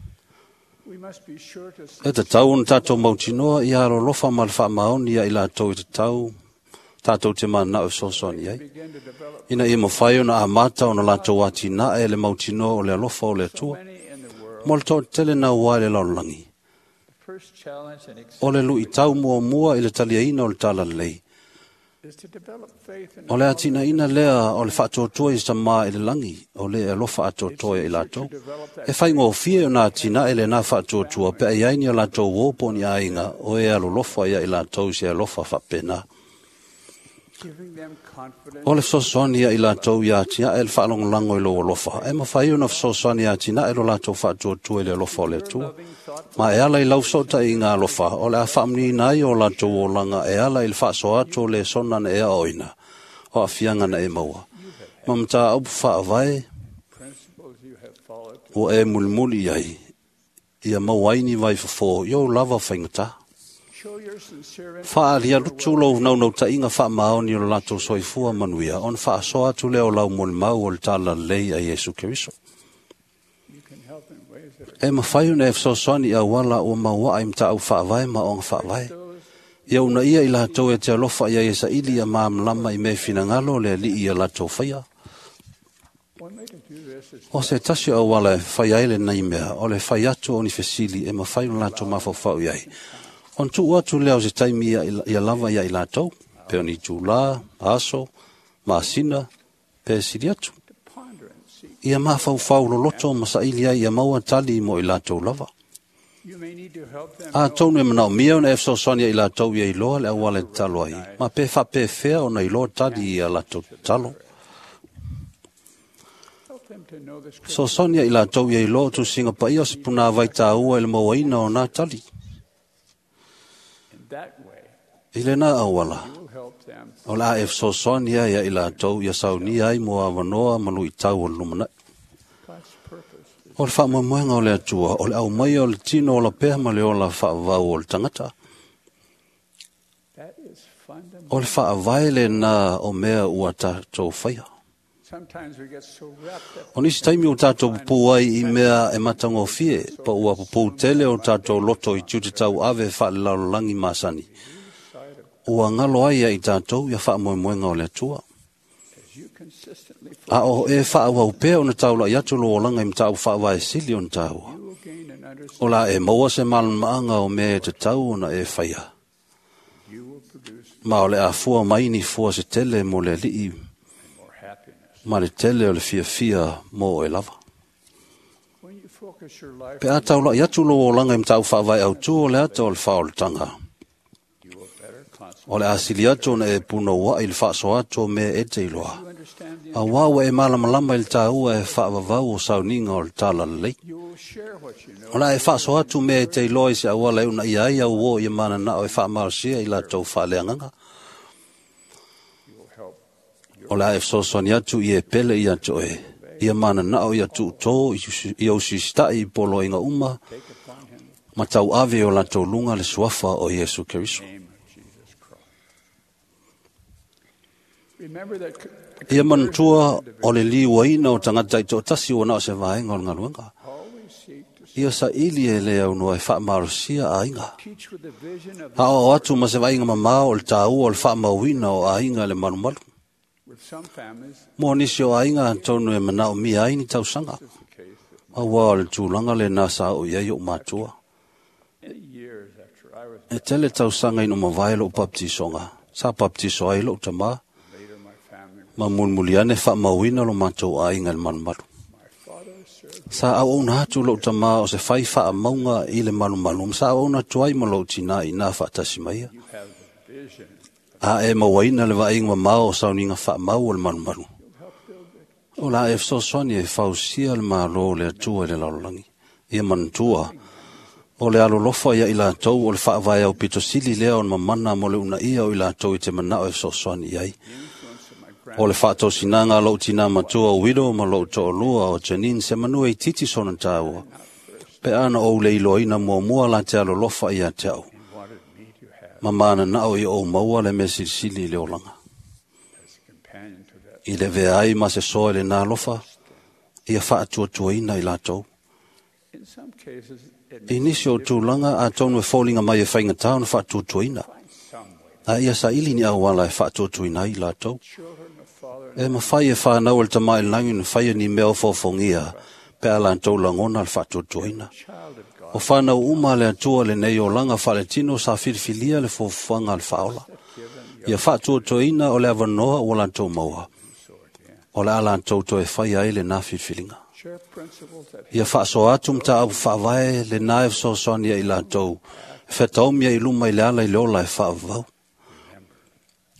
E te tau ona tātou mautinoa i aro lofa ma le whaamaoni ia i lātou i te tau, tātou te mana o sosoani ai. Ina ia mawhai ona a mata ona lātou ati nā e le mautinoa o le alofa o le atua. Mo le tō tele nā wai le laolangi. O le lui tau mua mua i le taliaina o le tala lei. O le atina ina lea o le whaatoatoa i sa maa i le langi, o le alofa atoatoa i lātou. E whai ngō o nā atina e le nā whaatoatoa, pe ai ai ni o lātou wōpo ni ainga, o e alolofa ia i lātou se alofa whapena. O le fesoasoani ia i lātou ia atina e le whaalongolango i lo alofa. E mawhai o na fesoasoani ia atina e lo lātou whaatoatoa i le alofa o le atua. Ma e ala i lau sota i ngā alofa, o le a whaamni nai o lātou o langa e ala i le whaasoa atu o le sona na ea oina, o a fianga na e maua. Ma mta au whaavae, o e mulimuli ai, ia mauaini vai fofo, i o lava whaingata. Whaaria lutu lo naunau ta inga whaamaoni o le lātou soifua manuia, on whaasoa atu leo lau molimau o le tala lei a Iesu Keriso. E mawhai ona e fesoasoani i awala o maua ai mta au whaavae ma onga whaavae. Ia una ia i latou e te alofa ia e saili ia māmalama i mea finagalo le alii ia latou faia. O se tasi o auala e fai ai lenei mea, o le fai atu o ni fesili e mafai ona latou mafaufau i ai. Ona tuu atu lea o se taimi ia lava ia i latou, pe o ni itulā, aso, masina, pe sili atu. Ia mafaufau loloto ma saili ai ia maua tali mo i latou lava. Atonu e manaomia ona e fesoasoani ia i latou ia iloa le auala e tatalo ai, ma pe faapefea ona iloa tali ia latou tatalo. Fesoasoani ia i latou ia iloa o tusiga paia o se punāvai tāua i le mauaina o nā tali. I lena auala, o le a e fesoasoani ai ia i latou ia saunia ai mo avanoa ma luitau o le lumanai. O le faamoemoega o le Atua, o le aumaia o le tino ola pea ma le ola faavavau o le tagata. O le faavae lena o mea ua tatou faia. O nisi taimi o tatou pupū ai i mea e matagofie, pa ua pupū tele o tatou loto i tiute tauave faalelalolagi masani. Ua galo ai ia i tatou ia faamoemoega o le Atua. A o e faaauau pea ona taulai atu lou olaga i mataupu faavae sili ona tāua. O la e maua se malamalamaaga o mea e tatau ona e faia. Ma o le a fua mai ni fua se tele mo le alii ma le tele o le fiafia mo oe lava. Pe a taulai atu lou olaga i mataupu faavae autū o le ata o le faaolataga, o le a sili atu ona e punouai i le faasoa atu o mea e te iloa. Auā ua e malamalama i le tāua e faavavau o sauniga o le talalelei. O le a e faasoa atu mea e te iloa i se auala e uunaia ai au uō ia mananao e faamalosia i latou faaleagaga. O le a e fesoasoani atu i e pele ia te oe, ia mananao ia tuutō ia usiusitaʻi i poloaiga uma ma tauave i o latou luga le suafa o Iesu Keriso. Ia manatua o le liuaina o tagata i toatasi ua na o se vaega o le galuega. Ia saili e le aunoa e faamalosia aiga. Aoao atu ma se vaaiga mamao o le tāua o le faamauina o aiga i le malumalu. Mo nisi o aiga atonu e manaomia ai ni tausaga. Auā o le tulaga lenā sa oo i ai oʻu matua. E tele tausaga ina ua mavae loʻu papatisoga, sa papatiso ai loʻu tamā, ma mulimuli ane faamauina lo matou aiga i le malumalu. Sa auauna atu loʻu tamā o se fai faamauga i le malumalu, ma sa auauna atu ai ma loʻu tinā iinā faatasi ma ia. A e mauaina le vaaiga mamao o sauniga faamau o le malumalu, o le a e fesoasoani e fausia le Malo o le Atua i le lalolagi. Ia manatua, o le alolofa ia i latou o le faavae aupito sili lea o le mamana mo le uunaia o i latou i te manao e fesoasoani i ai. O le faatosinaga a loʻu tinā matua o Widow ma loʻu toalua o Janine se manu e itiiti sona tāua. Pe a na ou le iloaina muamua la te alolofa ia te au. Ma mananao ia ou maua le mea silisili i le olaga. I le avea ai ma se soa i lenā alofa, ia faatuatuaina i latou. I nisi o tulaga atonu e foliga mai e faigata ona faatuatuaina, a ia saili ni auala e faatuatuaina ai i latou. E mafai e whanau e le tamā i le lagi ona faia ni mea ofoofogia pe a latou lagona le faatuatuaina. O whanau uma a le Atua lenei olaga faaletino sa filifilia le fuafuaga a le faaola. Ia faatuatuaina o le avanoa ua latou maua, o le a latou toe faia ai lenā filifiliga. Ia faasoa atu mataupu faavae lenā e fesoasoani ai i latou, e fetaomi ai i luma i le ala i le ola e faavavau.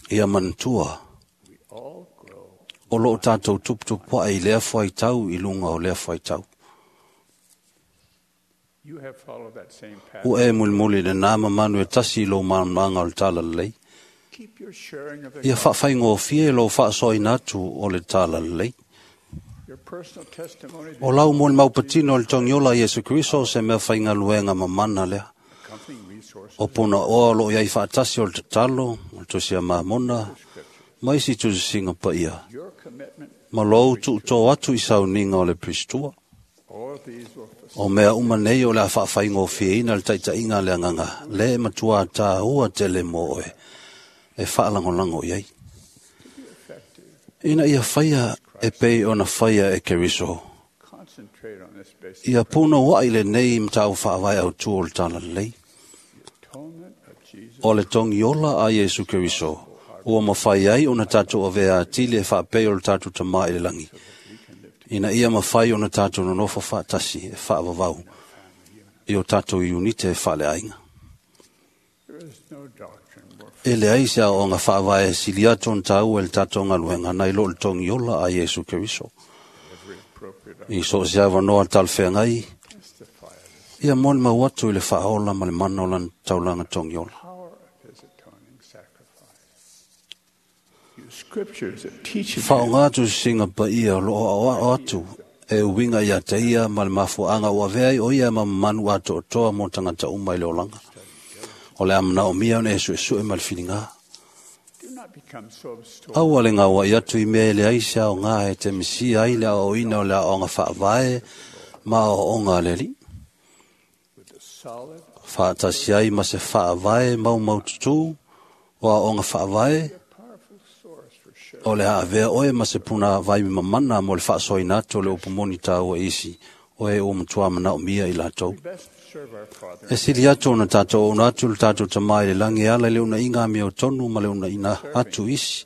Ia manatua, o loo tatou tuputupuaʻe i lea fuaitau i luga o lea fuaitau. Ua e mulimuli i lenā mamanu e tasi i lou malamalamaga o le talalelei. Ia faafaigofie lou faasoaina atu o le talalelei. O lau molimau patino o le togiola a Iesu Keriso o se mea faigaluega mamana lea. O punaoa o loo i ai faatasi o le tatalo, o le tusi a Mamona, ma isi tusisiga paia, ma lou tuutō atu i sauniga o le Pristua. O mea uma nei o le a faafaigofieina le taitaiga a le agaga, le e matua tāua tele mo oe, e faalagolago i ai. Ina ia faia e pei ona faia e Keriso, Concentrate on this basic ia punouai lenei mataupu faavae autū o le talalelei. atonement of Jesus O le togiola a Iesu Keriso, ua mafai ai ona tatou avea atili e faapei o le tatou Tamā i le lagi, ina ia mafai ona tatou nonofo faatasi e faavavau i o tatou iunite e faaleaiga. There is no doctrine more E leai se aoaoga faavae e sili atu ona tāua i le tatou galuega nai lo o le togiola a Iesu Keriso. every appropriate I so o se avanoa talafeagai, testify of ia mo le mau atu i le faaola ma le mana o lana taulaga togiola. the power of his atoning sacrifice. Use scriptures that teach him Whaonga atu singa pa ia lo o ao atu e uinga ia te ia ma le mafuaanga ua avea ai o ia ma manu ato o toa mo tangata uma i le olanga. O le amana o mia ona e suesue ma le whiringa. Do not become so absorbed Aua le ngaua i atu i mea e le aisa o ngā e te misia ai le aoina o le aoga whaavae ma o onga le li. with the solid Whaatasi ai ma se whaavae mau mau tutu o aoga whaavae powerful source for sharing o le haavea oe ma se puna vai mamana mo le faasoaina atu o le upumoni tāua isi o e ua matua manaomia i latou. We best serve our Father E sili atu ona tātou ona atu le tātou tamā i le langi e ala i le unaiga a mea o tonu ma le unaiga atu isi.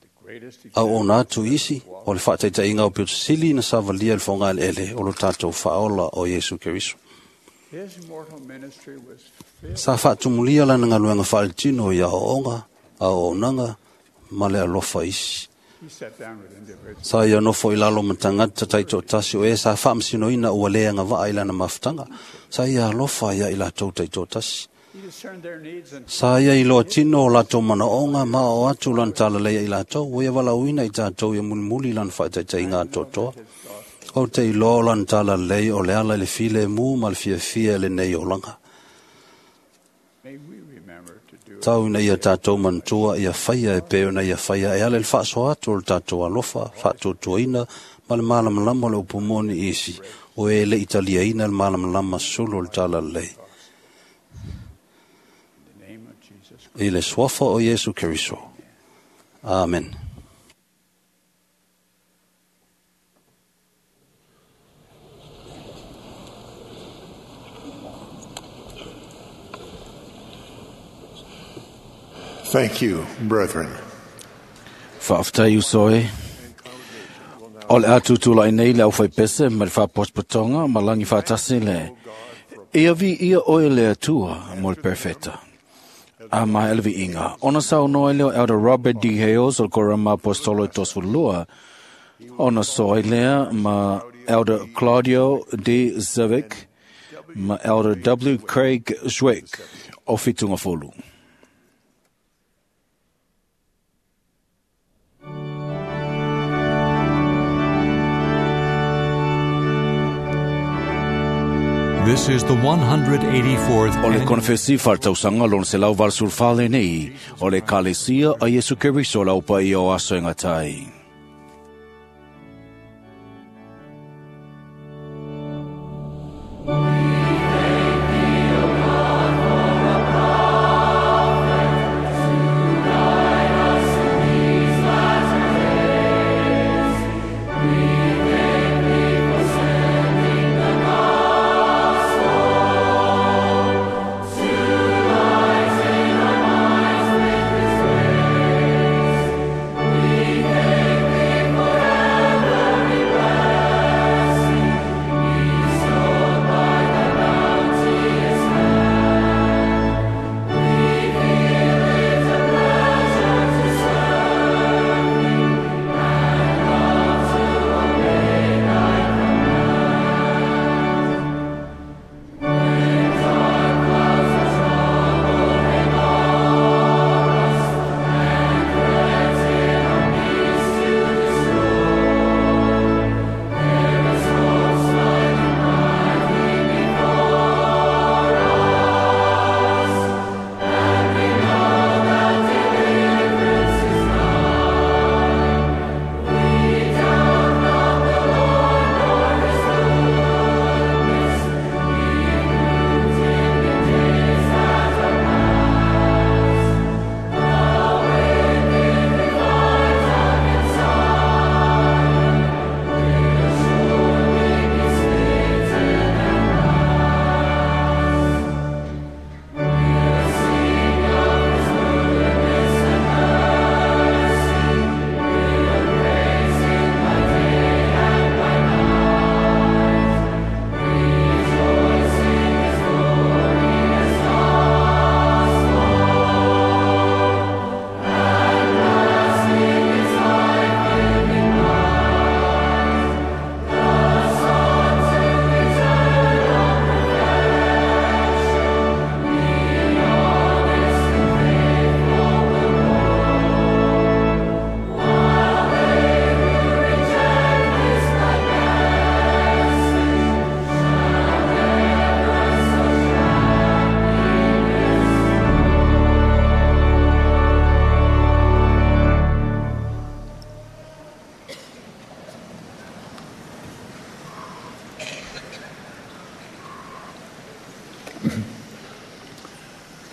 the greatest Au ona atu isi o le faataitaiga o pito sili na savalia i le fogaeleele o lo tātou faaola o Iesu Keriso. His mortal ministry was filled Sa faatumulia lana galuega faaletino i aoaoga, aoaonaga ma le alofa isi. He sat down with individuals Sa ia nofo i lalo ma tagata taitoatasi o e sa faamasinoina ua le agavaa i lana mafutaga. Sa ia alofa ia i latou taitoatasi. He discerned their needs and Sa ia iloa tino o latou manaoga ma o atu lana talalei i latou, ua ia valaauina i tatou ia mulimuli lana faataitaiga atoatoa. O te iloa o lana talalelei o le ala i le filemu ma le fiafia i lenei olaga. may we remember to do Tau ina ia tātou manatua ia faia e pei ona ia faia e ala i le faasoa atu o le tātou alofa, faatuatuaina ma le malamalama o le upu moni isi, o e le italiaina le malamalama sulu o le talalelei. in the name of Jesus I le suafa o Iesu Keriso. Amen. Thank you, brethren. Faafetai uso e. O le atu tūlai nei le au whaipese ma le whaapotopotonga ma langi whaatasi le. Ia vi ia oe le atua mo le perfeta. A mai ele viiga. Ona saunoa lea o Elder Robert D. Hales o le Korama Apostolo e 32. Ona soa ai lea ma Elder Claudio D. Zavick ma Elder W. Craig Schweck o Fitunga Folu. This is the 184th O le annual konfesi whartausanga lon se lau valsulfale nei, o le kalesia a Yesu Keriso lau pa i o aso e ngatai. We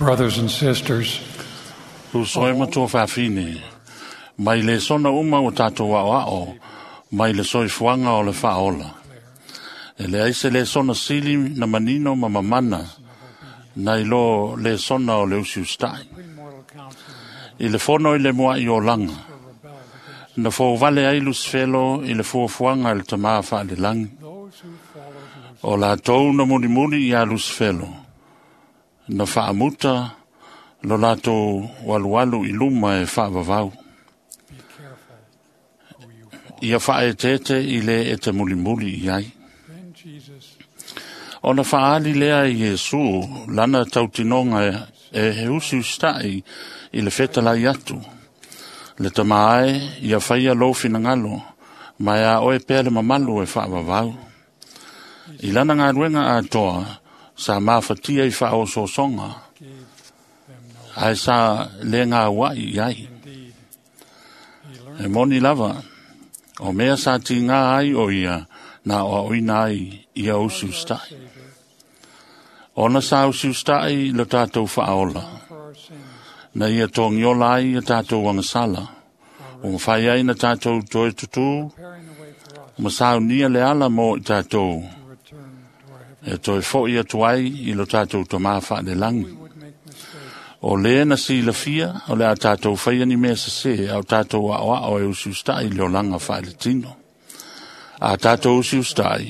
Brothers and sisters, Uso e matua faafine, mai le sona uma o tātou ao ao, mai le soifuaga o le faaola. E leai se lesona sili na manino ma mamana, nai lo lesona o le usiusitaʻi. I le fono i le muaʻi olaga, na fouvale ai Lusifelo i le fuafuaga e le tamā faalelagi. O latou na mulimuli iā Lusifelo, na faamuta lo latou alualu i luma e faavavau. Ia faaeteete i lē e te mulimuli i ai. Ona faaali lea i Iesu lana tautinoga e he usiusitaʻi i le fetalai atu. Le tamā e, ia faia lou finagalo, ma e a oe pea le mamalu e faavavau. I lana galuega atoa, sa mafatia i faaosoosoga, ae sa lē gauaʻi i ai. E moni lava, o mea sa tigā ai o ia na aoaoina ai ia usiusitaʻi. Ona sa usiusitaʻi lo tatou faaola, na ia togiola ai ia tatou agasala, ua mafai ai na tatou toe tutū, ma saunia le ala mo i tatou, e toe foʻi atu ai i lo tatou tamā faalelagi. O lē na silafia, o le a tatou faia ni mea sesē, a o tatou aoao e usiusitaʻi i le olaga faaletino. A tatou usiusitaʻi,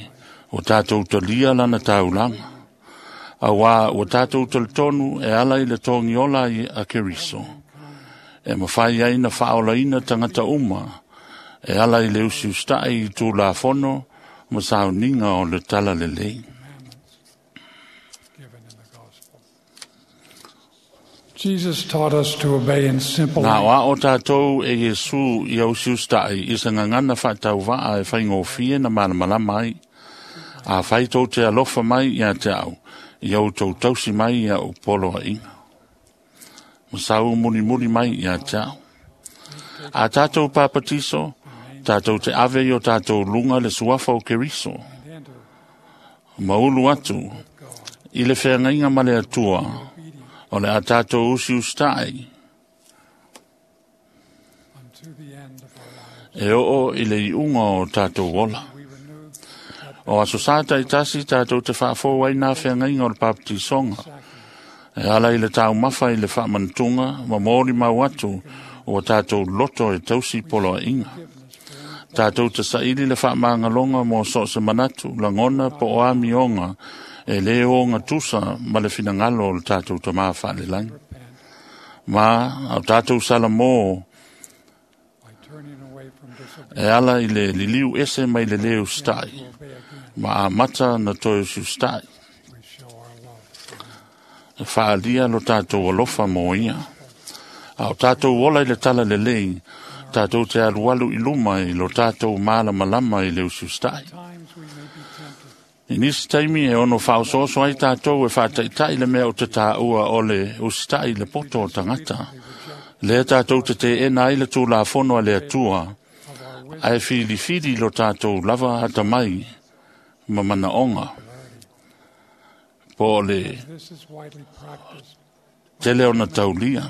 ua tatou talia lana taulaga. Auā ua tatou talitonu e ala i le togiola ai a Keriso, e mafai ai na faaolaina tagata uma, e ala i le usiusitaʻi i tulafono ma sauniga o le talalelei. Jesus taught us to obey in simple Na aoao tātou e Iesu ia usiusitaʻi i se gagana faatauvaa e faigofie na malamalama ai. A fai tou te alofa mai iā te au, ia outou tausi mai ia ou poloaʻiga. Ma sau mulimuli mai iā te au. A tātou papatiso, tātou te ave i o tātou luga le suafa o Keriso. Ma ulu atu, i le feagaiga ma le Atua, o le a tātou usiusitaʻi. E oo i le iuga o tātou ola. O aso sa taitasi tātou te faafou ai nā feagaiga o le papatisoga. E ala i le taumafa i le faamanatuga ma molimau atu ua tātou loto e tausi poloaʻiga. Tātou te saili le faamagaloga mo so o se manatu, lagona po o amioga e lē ogatusa ma le finagalo o le tatou tamā faalelagi. Ma a o tatou salamō e ala i le liliu ese mai le lē usitaʻi, ma amata na toe usiusitaʻi. E faalia lo tatou alofa mo ia. A o tatou ola i le talalelei, tatou te alualu i luma i lo tatou malamalama i le usiusitaʻi. I nisi taimi e ono faaosooso ai tatou e faataʻitaʻi le mea o te tāua o le usitaʻi i le poto o tagata. Lea tatou te teena ai le tulafono a le Atua, ae filifili lo tatou lava atamai ma manaoga. Po o le tele ona taulia.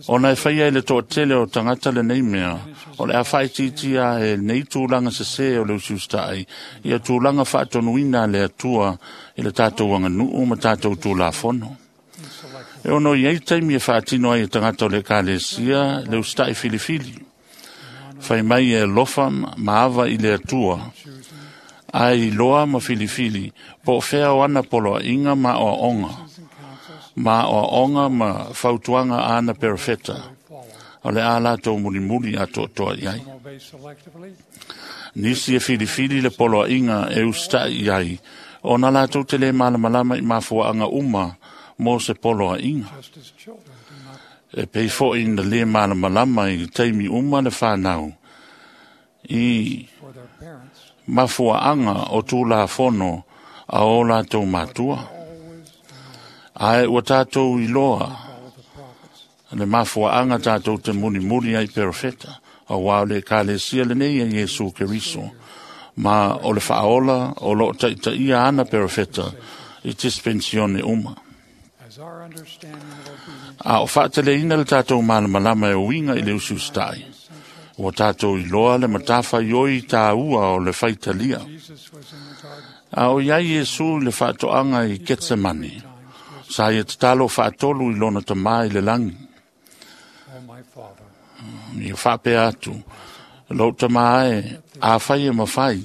Ona e faia i le toatele o tagata lenei mea, o le a faaitiitia e nei tulaga sesē o le usiusitaʻi, ia tulaga faatonuina a le Atua i le tatou aganuu ma tatou tulafono. E ono i ai taimi e faatino ai e tagata o le ekalesia le usitaʻi filifili. Fai mai e alofa ma ava i le Atua, ae iloa ma filifili po o fea o ana poloaʻiga ma aoaoga, ma aoaoga ma fautuaga a ana perofeta, o le a latou mulimuli atoatoa i ai. Nisi e filifili le poloaʻiga e usitaʻi i ai, ona latou te lē malamalama i mafuaaga uma mo se poloaʻiga. E pei foʻi na lē malamalama i taimi uma le fanau i mafuaaga o tulafono a o latou matua. Ae ua tatou iloa le mafuaaga tatou te mulimuli ai perofeta, auā o le ekalesia lenei e Iesu Keriso, ma o le faaola o loo taʻitaʻia ana perofeta i dispensione uma. A o faateleina le tatou malamalama e uiga i le usiusita'i, ua tatou iloa le matafaioi tāua o le faitalia. A o iai Iesu i le faatoaga i Ketsemane, sa ia tatalo faatolu i lona tamā i le lagi. Ia faapea atu, lou tamā e, afai e mafai,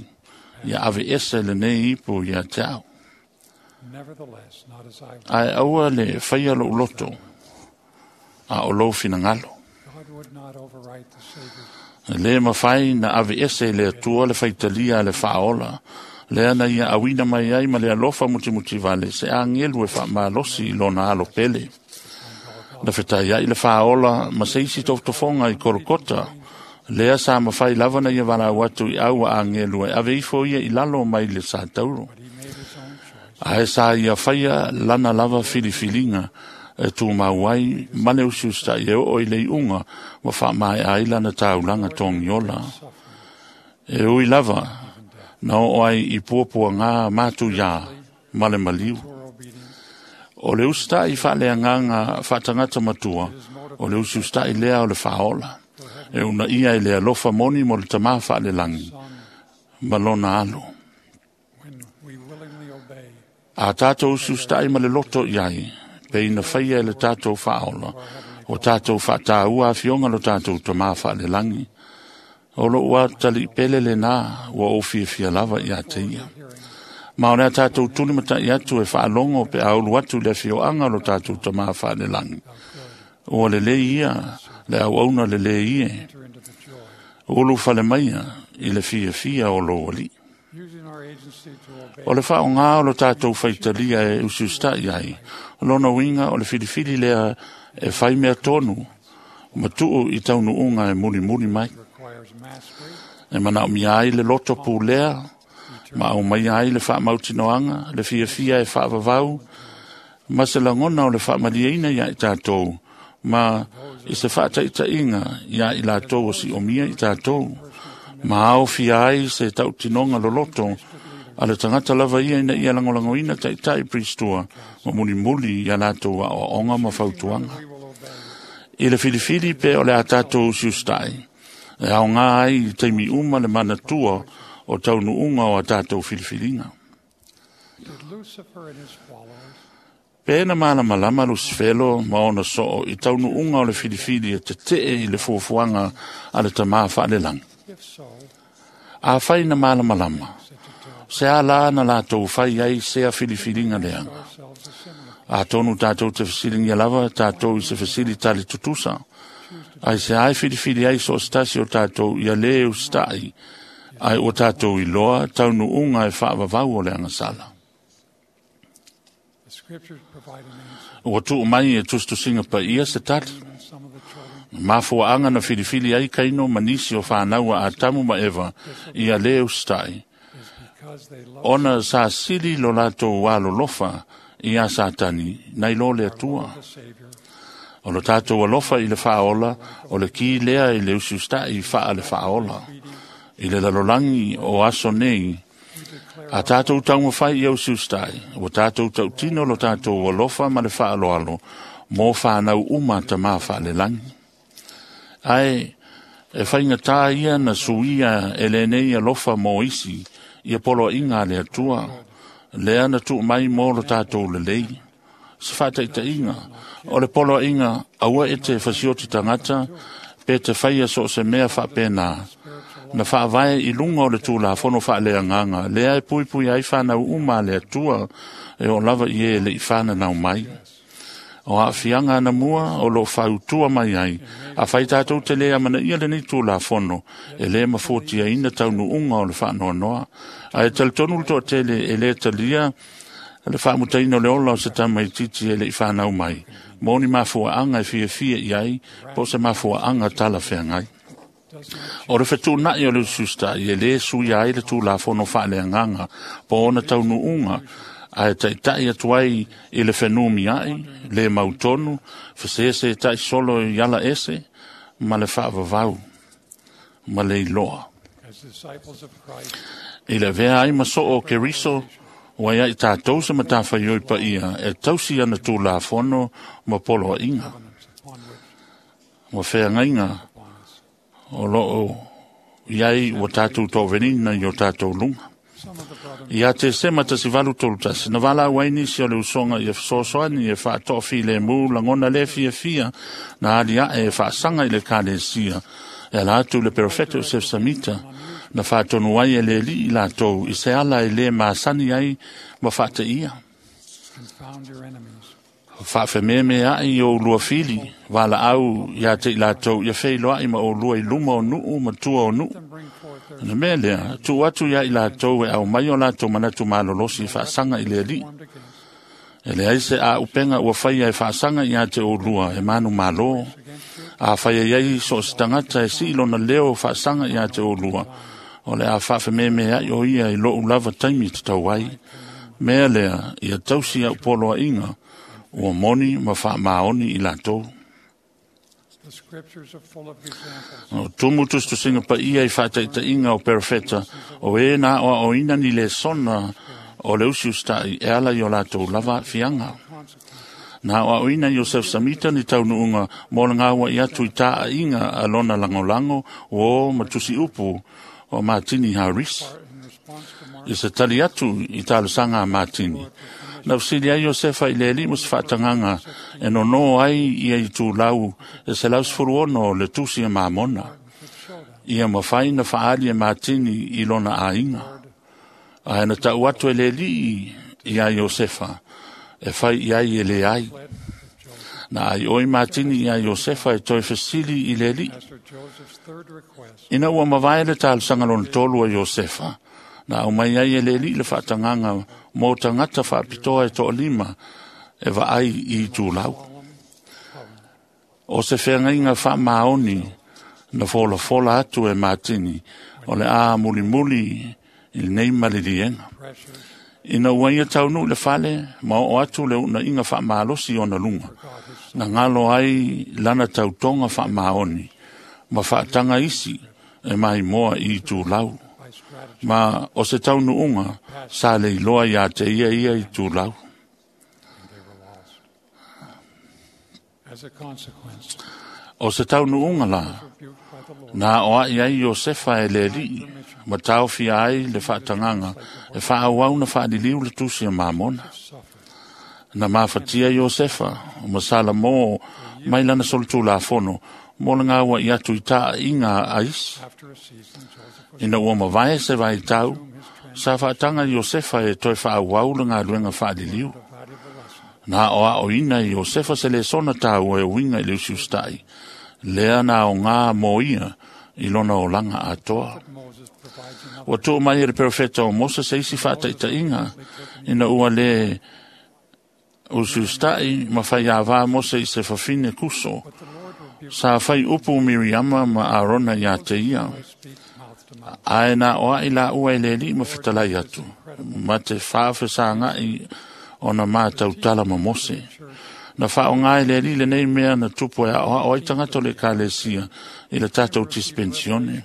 ia ave ese lenei ipu ia te au. Ae aua le faia lou loto, a o lou finagalo. E le mafai na ave ese i le Atua le faitalia a le faaola, lea na ia auina mai ai ma le alofa mutimutivale se agelu e faamalosi i lona alo pele. Na fetaiai le faaola ma se isi tofotofoga i Kolokota, lea sa mafai lava na ia valaau atu i au a agelu e ave ifo ia i lalo mai le satauro. Ae sa ia faia lana lava filifiliga e tumau ai ma le usiusitai e oo i le iuga ma faamaea ai lana taulaga togiola. E ui lava na oo ai i puapuagā matuiā ma le maliu. O le usitai faaleagaga faatagata matua, o le usiusitai lea o le faaola, e unaia i le alofa moni mo le tamā faalelagi ma lona alo. A tatou usiusitai ma le loto i ai, pe ina faia e le tatou faaola, o tatou faataua afioga lo tatou tamā faalelagi. O lou atalii pele lenā ua ou fiafia lava ia te ia. Ma o le a tatou tulimatai atu e faalogo pe a ulu atu i le afioaga o lo tatou tamā faalelagi. Ua lelei ia le auauna lelei e. Ulu fale maia i le fiafia o lou alii. O le faaaogā o lo tatou faitalia e usiusitai ai, lona uiga o le filifili lea e fai mea tonu ma tuu i taunuuga e mulimuli mai. E manaomia ai le loto pulea, ma aumaia ai le faamautinoaga, le fiafia e faavavau, ma se lagona o le faamalieina ia i tatou, ma i se faataitaiga ia i latou o siomia i tatou, ma aofia ai se tautinoga loloto a le tagata lava ia ina ia lagolagoina taitai Piristua ma mulimuli ia latou aoaoga ma fautuaga. I le filifili pe o le a tatou usiusitai, e aogā ai i taimi uma le manatua o taunuuga o a tatou filifiliga. Pe na malamalama Lusifelo ma ona soo i taunuuga o le filifili e tetee i le fuafuaga a le tamā faalelagi. Afai na malamalama, se a la na latou fai ai sea filifiliga leaga. Atonu tatou te fesiligia lava tatou i se fesili tali tutusa, ai se ai filifili ai so o se tasi o tatou ia lē usitai, ae ua tatou iloa taunuuga e faavavau o le agasala. Ua tuu mai e tusitusiga paia se tali. Mafuaaga na filifili ai Kaino ma nisi o fanau a Atamu ma Eva ia lē usitai, ona sa sili lo latou alolofa ia Satani nai lo le Atua. O lo tatou alofa i le faaola, o le ki lea i le usiusitai faa le faaola. I le lalolagi o aso nei, a tatou taumafai ia usiusitai, ua tatou tautino lo tatou alofa ma le faaloalo mo fanau uma tamā faalelagi. Ae e faigatā ia na suia e lenei alofa mo isi ia poloaiga a le Atua, lea na tuu mai mo lo tatou lelei. Se faataitaiga, o le poloaiga aua e te fasioti tagata pe te faia so o se mea faapena, na faavae i luga o le tulafono faaleagaga lea e puipui ai fanau uma a le Atua e oo lava i e le i fananau mai. O aafiaga anamua o loo fautua mai ai, afai tatou te lē amanaia lenei tulafono, e lē mafuatiaina taunuuga o le faanoanoa. Ae talitonu le toatele e lē talia le faamutaina o le ola o se tamaitiiti e le i fanau mai, mo ni mafuaaga e fiafia i ai, po o se mafuaaga talafeagai. O le fetuunai o le usiusitai e lē suia ai le tulafono faaleagaga po ona taunuuga, ae taitai atu ai i le fenumiai, le mautonu, fesesetai solo i ala ese, ma le faavavau, ma le iloa. I le avea ai ma soo o Keriso, Ua ia i tātou se matawhaioi pa ia e tausi ana tūlafono ma poloaiga. Ua feagaiga o loo iai ua tātou tovenina i o tātou luga. Ia te sema 1831, na wala au ai nisi o le usoga ia fesoasoani e faatoafilemu lagona le fiafia na aliae e faasaga i le ekalesia e ala atu i le perofeta o Joseph Samita na faatonu ai e le alii latou i se ala e lē masani ai ma faateia. Confound your enemies. Faafememeaʻi i oulua fili valaau iā te i latou ia feiloaʻi ma oulua i luma o nuu ma tua o nuu. Na mea lea, tuu atu iā i latou e aumai o latou manatu malolosi e faasaga i le alii. E leai se auupega ua faia e faasaga iā te oulua e manumalo. A faia iai so o se tagata e sii lona leo faasaga iā te oulua, o le a faafememeaʻi o ia i loʻu lava taimi tatau ai. Mea lea, ia tausi au poloaiga, ua moni ma faamaoni i latou. The scriptures are full of examples. O tumu tusitusiga paia i faataitaiga o perofeta, o e na aoaoina ni lesona o le usiusitaʻi e ala i o latou lava aafiaga. Na aoaoina Iosef Samita ni taunuuga mo le gauaʻi atu i taʻaiga a lona lagolago uō ma tusiupu o Matini Harris. I se tali atu i talosaga a Matini. Na fesili ai Iosefa i le alii ma se faatagaga e nonō ai ia i tulau e 116 o le tusi a Mamona. Ia mafai na faali e Matini i lona aiga. Ae na tau atu e le alii iā Iosefa e fai i ai e le ai. Na ai oi Matini iā Iosefa e toe fesili i le alii. Pastor Joseph's third request Ina ua mavae le talosaga lona tolu a Iosefa, na aumai ai e le alii le faatagaga mo tagata faapitoa e toalima e vaai i itulau. O se feagaiga faamaoni na folafola atu e Matini o le a mulimuli i lenei maliliega. Ina ua ia taunuu i le fale ma oo atu le uunaiga faamalosi i ona luga, na galo ai lana tautoga faamaoni ma faataga isi e maimoa i itulau. Ma o se taunuuga sa le iloa iā te ia ia itulau. as a consequence. O se taunuuga la, na aoaʻi ai Iosefa e le alii, ma taofia ai le faatagaga e faaauau na faaliliu le tusi a Mamona. Na mafatia Iosefa ma Salamo mai lana solitulafono mo le gauaʻi atu i taʻaiga a isi. After a season, Joseph was Ina ua mavae se vaitau, sa faataga Iosefa e toe faaauau le galuega faaliliu. valuable lesson. Na aoaoina e Iosefa se lesona tāua e uiga i le usiusitaʻi, lea na aogā mo ia i lona olaga atoa. Moses provides another Ua tuu mai e le perofeta o Mose se isi faataitaiga ina ua le usiusitaʻi ma faiāvā Mose i se fafine kuso. But the Lord rebuked Sa fai upu Miriama ma Arona iā te ia. speak mouth to mouth. Ae na oaʻi laua e le alii ma fetalai atu, ma te faafesagaʻi ona matautala ma Mose. Na faaaogā e le alii lenei mea na tupu e aoao ai tagata o le ekalesia i le tatou dispensione.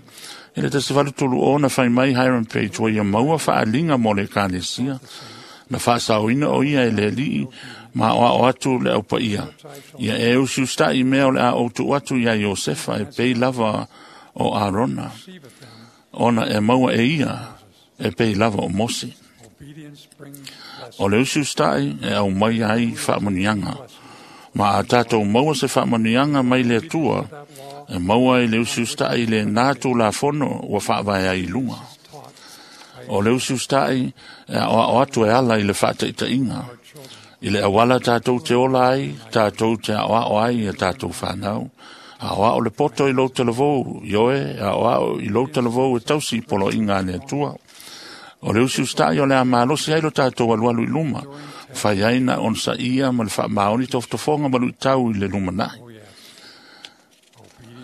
I le 1830 na fai mai Hiram Page ua ia maua faaliga mo le ekalesia. Na faasaoina o ia e le alii ma aoao atu le aupaia. Ia e usiusitaʻi mea o le a ou tuu atu iā Iosefa e pei lava o Arona, Receiveth them. ona e maua e ia e pei lava o Mose. Obedience brings blessing. O le usiusitaʻi e aumai ai faamanuiaga. Ma a tatou maua se faamanuiaga mai le Atua, e maua ai le usiusitaʻi i lenā tulafono ua faavae ai i luga. O le usiusitaʻi e aoao atu e ala i le faataitaiga. I le auala tatou te ola ai, tatou te aoao ai ia tatou fanau. Aoao le poto i lou talavou, ioe, aoao i lou talavou e tausi i poloaiga a le Atua. O le usiusitaʻi o le a malosi ai lo tatou alualu i luma, fai ai na onosaia ma le faamaoni tofotofoga ma luitau i le lumanai.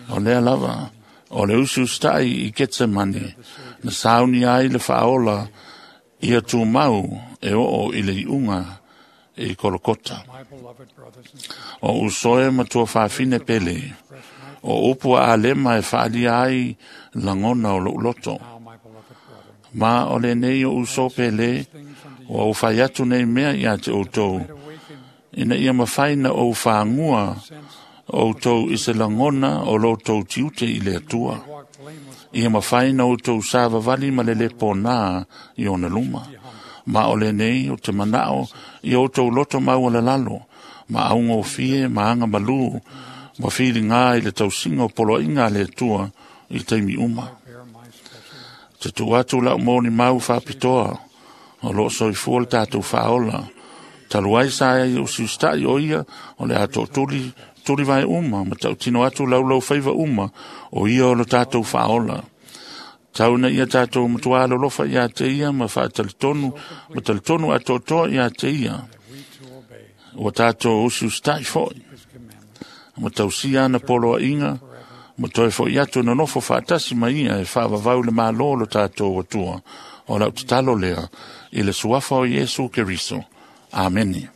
O lea lava, o le usiusitaʻi i Ketsemane, na saunia ai le faaola ia tumau e oo i le iuga i Kolokota. My beloved brothers and sisters, O usoe ma tuafafine pele, o upu a alema e faalia ai lagona o lou loto. now my beloved brethren, Ma o lenei o uso pele, Ua ou fai atu nei mea ia te outou, ina ia mafai na ou fāgua outou i se lagona o lo outou tiute i le Atua. Ia mafai na outou savavali ma le lē pōnā i ona luma. Ma o lenei o te manao ia outou loto maualalalo, ma augofie ma aga malū, ma filigā i le tausiga o poloaiga a le Atua i taimi uma. Te tuu atu lau molimau faapitoa o loo soifua le tatou faaola talu ai sa ai usiusitaʻi o ia o le a toʻatuli tulivae uma ma tautino atu laulau faiva uma o ia o lo tatou faaola. Tau ina ia tatou matuā alolofa iā te ia ma faatalitonu ma talitonu atoatoa iā te ia. Ua tatou usiusitaʻi foʻi ma tausia ana poloaiga ma toe foʻi atu e nonofo faatasi ma ia e faavavau le mālō lo tatou Atua. O lau tatalo lea i le suafa o Iesu Keriso. Amene.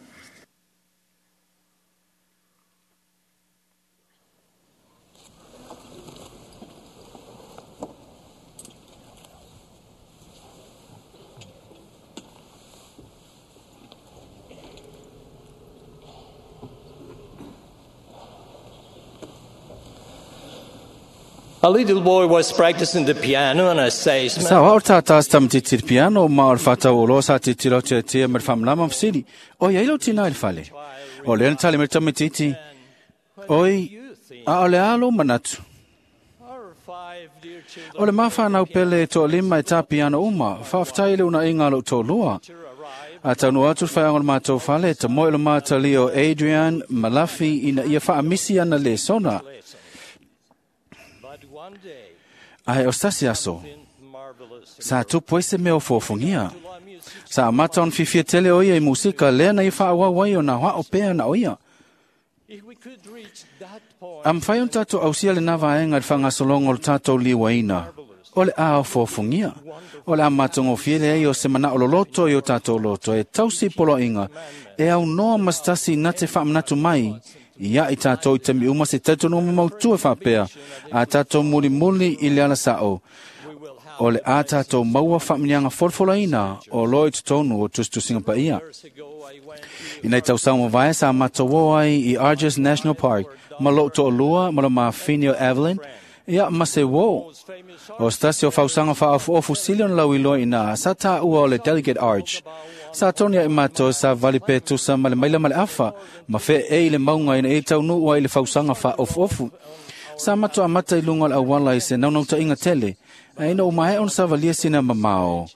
A little boy was practicing the piano and I say, Sa wao tā tā tamatiti le piano ma o le whātau o loa sa te tiro te tia me le whamlama mfsili. O ia ilo tina i le fale. O lea na tali me le tamatiti. Oi, a o le alo manatu. O le mawhanau pele e toa lima e tā piano uma, whaaftai le una inga lo tō lua. A taunu atu le whaeanga o le mātou fale, ta moe le mātali o Adrian Malafi ina ia whaamisi ana le sona. Ae o stasi aso, sa tupu ai se mea o fōfungia. Sa amata on fifia tele o ia i musika, lea na i whaawau ai o nā wao pea na o ia. A mwhai on tātou ausia le nā vaenga le whangasolongo o le tātou liwaina. O le a o fōfungia. O le a matongo fiele ei o se mana o loloto i o tātou loto e tausi poloinga. E au noa mastasi na te whaamanatu mai. Ia i tātou i te mi uma se tautono mautu e whapea. A tātou muli muli i le ala sao. O le a tātou maua whaamanianga folfolaina o loi totonu o tustusinga pa ia. I nei tausaga mavae sa matou ai i Argus National Park, ma lou toalua ma le mafine o Evelyn, ia ma se uō. O se tasi o fausaga faaofuofu sili ona lauiloa iinā sa tāua o le Delegate Arch. Sa toni aʻe matou sa vali pe tusa ma le maila ma le afa, ma feʻei i le mauga ina ia taunuu ai i le fausaga faaofuofu. Sa matou amata i luga o le auala i se naunautaiga tele, ae ina ua maea ona savalia sina mamao.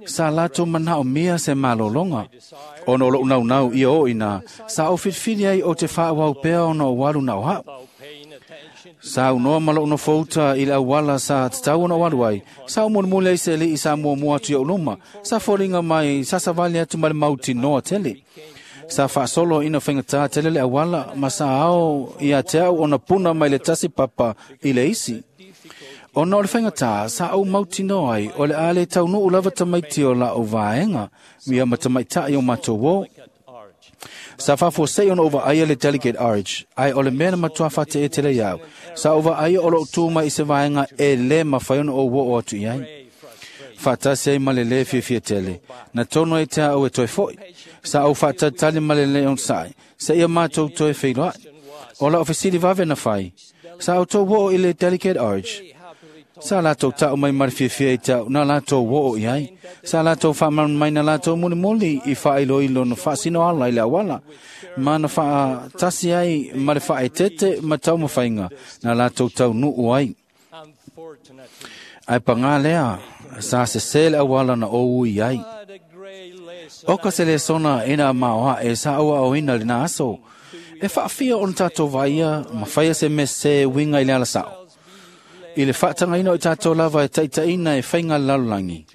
Sa latou manaomia se malōlōga. Ona o loʻu naunau ia oo inā, sa ou filifili ai o te faaauau pea ona o alu na o a'u. Sa unoa ma loʻu nofouta i le auala sa tatau ona ou alu ai. Sa ou mulimuli ai se alii sa muamua atu i ou luma. Sa foliga mai sa savali atu ma le mautinoa tele. Sa faasolo ina faigatā tele le auala ma sa ao ia te au ona puna mai le tasi papa i le isi. Ona o le faigatā, sa ou mautinoa ai o le a le taunuu lava tamaiti o la'u vaega, ia ma tamaitaʻi o matou ō. Sa faafuasei ona ou vaaia le Delegate Arch, ae o le mea na matuā faateʻe iau. Sa ou vaaia o loʻu tu mai i se vaega e lē mafai ona ou oo atu i ai. Faatasi ai ma le lē fiafia tele. Na tonu ai te au e toe foʻi. Sa ou faatalitali ma le lē onosaʻi. Seia matou toe feiloaʻi. O la'u fesili vave na fai. Sa outou oo i le Delegate Arch. Sa latou ta'u mai ma le fiafia i te au na latou oo i ai. Sa latou faamalamalamaina mai na latou mulimuli i faailoilo na faasino ala i le auala. Ma na faatasi ai ma le faaeteete ma taumafaiga na latou taunuu ai. Ae pagā lea, sa sesē le auala na ou ui ai. O ka se lesona ina maoaʻe sa auaoina lenā aso. E faafia ona tatou vaaia ma faia se mea sesē e uiga i le alasao. I le faatagaina o i tatou lava e taitaʻina e faiga le lalolagi.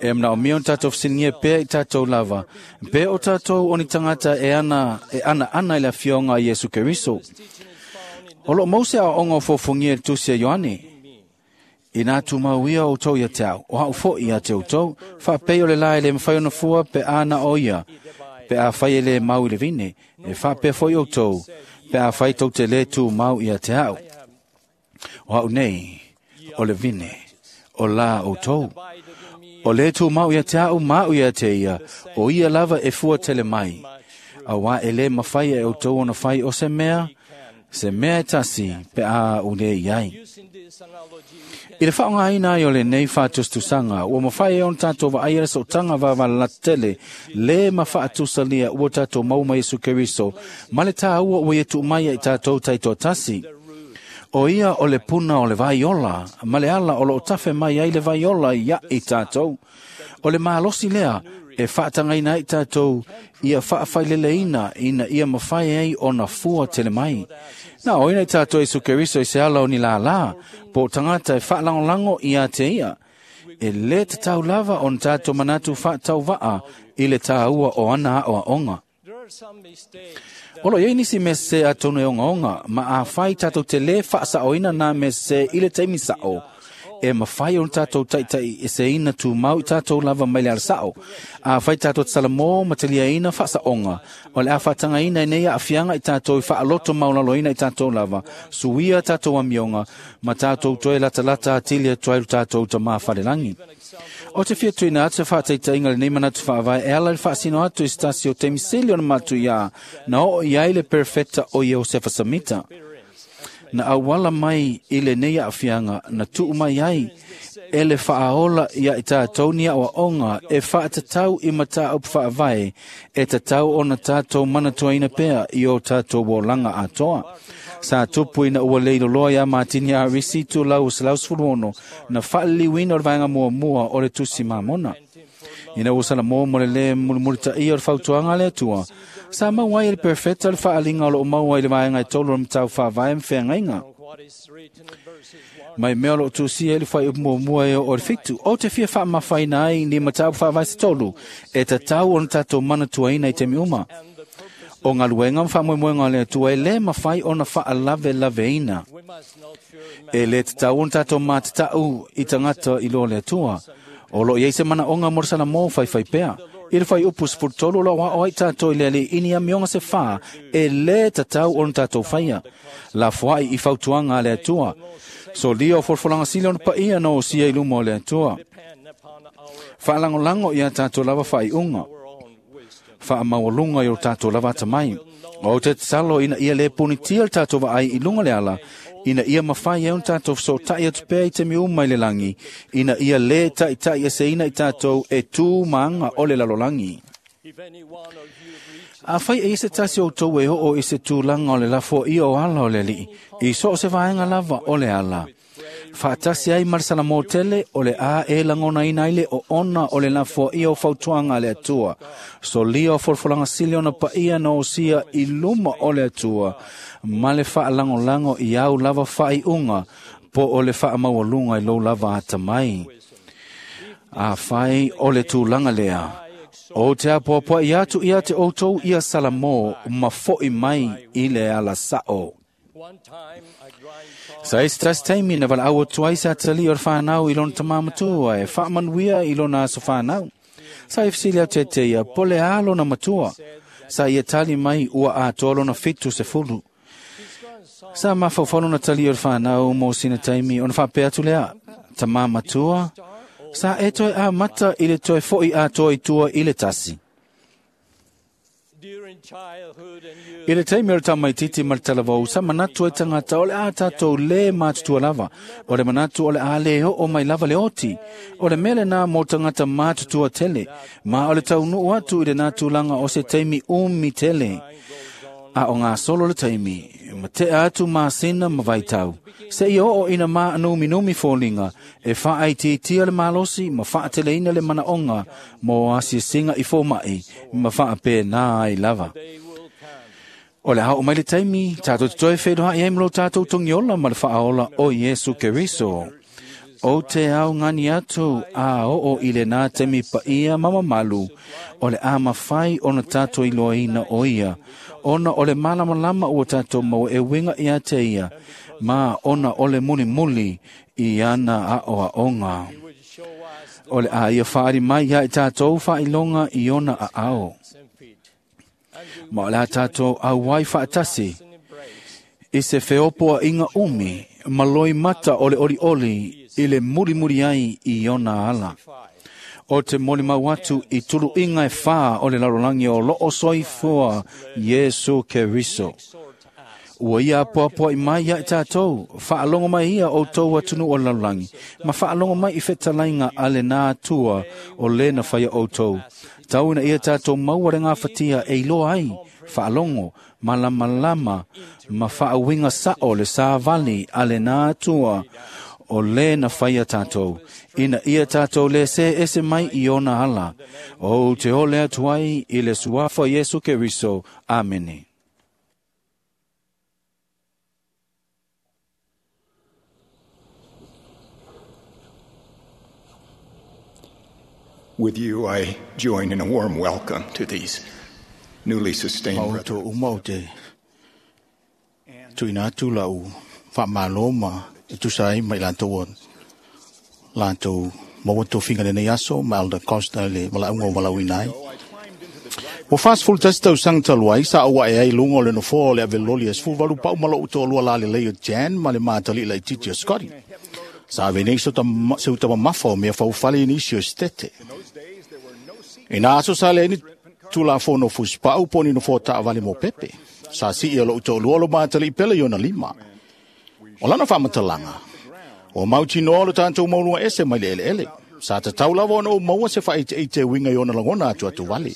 E manaomia ona tatou fesiligia pea i tatou lava, pe o tatou o ni tagata e ana e anaana i le afioga a Iesu Keriso. O loo mau se aoaoga o fofogia i le tusi a Ioane. Inā tumau ia outou ia te au, o a'u foʻi ia te outou, faapei o le la e lē mafai ona fua pe a na o ia, pe afai e lē mau i le vine, e faapea foʻi outou, pe afai tou te lē tumau ia te a'u. O a'u nei, o le vine, o lā outou. O le tumau ia te au ma au ia te ia, o ia lava e fua tele mai. Auā e lē mafai e outou ona fai o se mea, se mea e tasi pe a u lē i ai. I le faaaogāina ai o lenei faatusatusaga, ua mafai ai ona tatou vaaia le sootaga vavalalata tele lē ma faatusalia ua tatou maua ma Iesu Keriso ma le tāua ua ia tuu mai ai tatou taitoatasi. O ia o le puna o le vaiola ma le ala o loo tafe mai ai le vaiola iaʻi tatou. O le malosi lea e faatagaina ai tatou ia faafaileleina ina ia mafai ai ona fua tele mai. Na oina i tatou Iesu Keriso i se ala o ni lālā, po o tagata e faalagolago ia te ia. E lē tatau lava ona tatou manatu faatauvaa i le tāua o ana aoaoga. O lo i ai nisi mea sesē atonu e ogaoga, ma afai tatou te lē faasaoina nā mea sesē i le taimi sao, e mafai ona tatou taitaiʻeseina tumau i tatou lava mai le alasao. Afai tatou te salamō ma taliaina faasaoga, o le a faatagaina ai nei aafiaga i tatou i faaloto maulaloina i tatou lava, suia tatou amioga, ma tatou toe latalata atili atu ai lo tatou Tamā falelagi. O te fia tuuina atu se faataitaiga lenei manatu faavae e ala i le faasino atu i se tasi o taimi sili ona matuiā na oo i ai le perofeta o Iosefa Samita. Na auala mai i lenei aafiaga na tuu mai ai e le faaola ia i tatou ni aoaoga e faatatau i mataupu faavae e tatau ona tatou manatuaina pea i o tatou olaga atoa. Sa tupu ina ua leiloloa iā Matini Arisi itulau o 116 na faaliliuina o le vaega muamua o le Tusi Mamona. Ina ua salamō mo le lē mulimulitaia o le fautuaga a le Atua, sa maua ai e le perofeta le faaliga o loo maua i le vaega e tolu o le matau faavae ma feagaiga. Mai mea o loo tusia i le fuaiupu muamua e oo i le 7, ou te fia faamafaina ai ni mataupu faavae se tolu e tatau ona tatou manatuaina i taimi uma. O galuega ma faamoemoega o le Atua e lē mafai ona faalavelaveina. E lē tatau ona tatou matataʻu i tagata i loa le Atua. O loo i ai se manaoga mo le salamō faifai pea. I le fuaiupu 13 o loo aʻo ai tatou i le alii ni amioga se fā e lē tatau ona tatou faia. Lafoai i fautuaga a le Atua. Solia o folafolaga sili ona paia na osia i luma o le Atua. Faalagolago ia tatou lava faaiuga. Faamaualuga i o tatou lava atamai. Ou te tatalo ina ia lē punitia le tatou vaai i luga le ala, ina ia mafai ai ona tatou fesootai atu pea i taimi uma i le lagi, ina ia lē taʻitaʻieseina i tatou e tū ma aga o le lalolagi. Afai e i ai se tasi o outou e oo i se tulaga o le lafoaia o ala o le Alii, i so o se vaega lava o le ala, faatasi ai ma le salamō tele o le a e lagonaina ai le oona o le lafoaia o fautuaga a le Atua, solia o folafolaga sili ona paia na osia i luma o le Atua, ma le faalagolago i au lava faaiuga po o le faamaualuga i lou lava atamai. Afai o le tulaga lea, ou te apoapoai atu ia te outou ia salamō ma foʻi mai i le alasao. Sa i se tasi taimi na valaau atu ai se atalii o le fanau i lona tamā matua e faamanuia i lona aso fanau. Sa i fesili atu ia te ia, po o le a lona matua. Sa ia tali mai ua atoa lona 70. Sa mafaufau lona talii o le fanau mo sina taimi ona faapea atu lea, tamā matua, sa e toe amata i le toe foʻi atoa i tua i le tasi. I le taimi o le tamaititi ma le talavou, sa manatu ai tagata o le a tatou lē matutua lava. O le manatu o le a lē oo mai lava le oti. O le mea lenā mo tagata matutua tele, ma o le taunuu atu i lenā tulaga o se taimi umi tele. A o gasolo le taimi, ma tea atu masina ma vaitau, seia oo ina maanuminumi foliga e faaitiitia le malosi ma faateleina le manaoga mo asiasiga i fomaʻi ma faapēnā ai lava. O le a oo mai le taimi, tatou te toe feiloai ai ma lo tatou togiola ma le faaola o Iesu Keriso. Ou te augani atu a oo i lenā taimi paia ma mamalu, o le a mafai ona tatou iloaina o ia, ona o le malamalama ua tatou maua e uiga ia te ia, ma ona o le mulimuli i ana aoaoga. O le a ia faaali mai ia i tatou faailoga i ona aao. Ma o le a tatou auai faatasi i se feopoaiga umi ma loimata o le olioli i le mulimuli ai i ona ala. O te molimau atu i tuluiga e fā o le lalolagi o loo soifua Iesu Keriso. Ua ia apoapoai mai ia i tātou, faalogo mai ia outou atunuu o le lalolagi, ma faalogo mai i fetalaiga a lenā Atua o lē na faia outou. Tau ina ia tātou maua le gafatia e iloa ai, faalogo, malamalama, ma faauiga sao le savali a lenā Atua o lē na faia tātou, ina ia tātou lē sē ese mai i ona ala. Ou te ole atu ai i le suafa o Iesu Keriso. Amene. With you, I join in a warm welcome to these newly sustained Ma o brethren. tō uma o te tuina atu lau whaamalo ma e tusa ai mai lātou o lātou maua tofiga lenei aso ma Elder Costa le malaunga o malauina ai. Ua 41 tausaga talu ai sa ou ae ai luga o le nofoa o le aveloli e 18 pau ma lou toalua lalelei o Jan ma le matalii laitiiti o Scotty. Sa ave nei se uta mamafa o mea faufale i nisi o Setete. Ina aso sa leai ni tulafono fusipau po o ni nofoa taavale mo pepe. Sa sii o lou toalua o lo matalii pele i ona lima. O lana faamatalaga, ua mautinoa lo tatou mauluga ese mai le eleele. Sa tatau lava ona ou maua se faaiteite e uiga i ona lagona atu atu vale.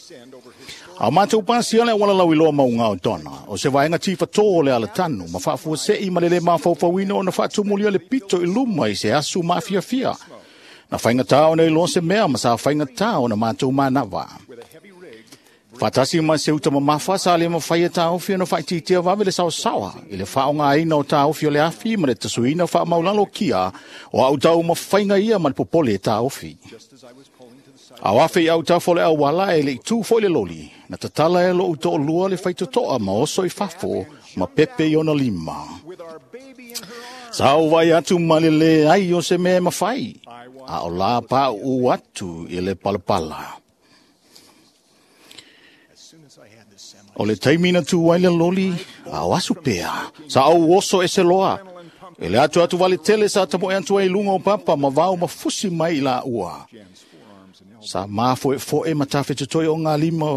A o matou pasia le auala lauiloa mauga o Donna, o se vaega tifatō o le alatanu, ma faafuasei ma le lē mafaufauina ona faatumulia le pito i luma i se asu maafiafia. Na faigatā ona iloa se mea ma sa faigatā ona matou manava. Faatasi ma se uta mamafa sa le mafai e taofi ona faaitiitia vave le saosaoa i le faaaogaina o taofi o le afi ma le tasuina faamaulalo kia o au taumafaiga ia ma le popole e taofi. A o afe i autafa o le auala e le i tū foi le loli, na tatala e lou toalua le faitotoa ma oso i fafo ma pepe i ona lima. Sa ou vaai atu ma le leai o se mea e mafai, a o la pauu atu i le palapala. O le taimi na tū ai le loli, a o asu pea, sa ou oso ese loa. E le atu atu vale tele sa tamoe atu ai i luga o papa ma vao ma fusi mai i laua. Sa mafoefoe ma tafetotoe o ngā lima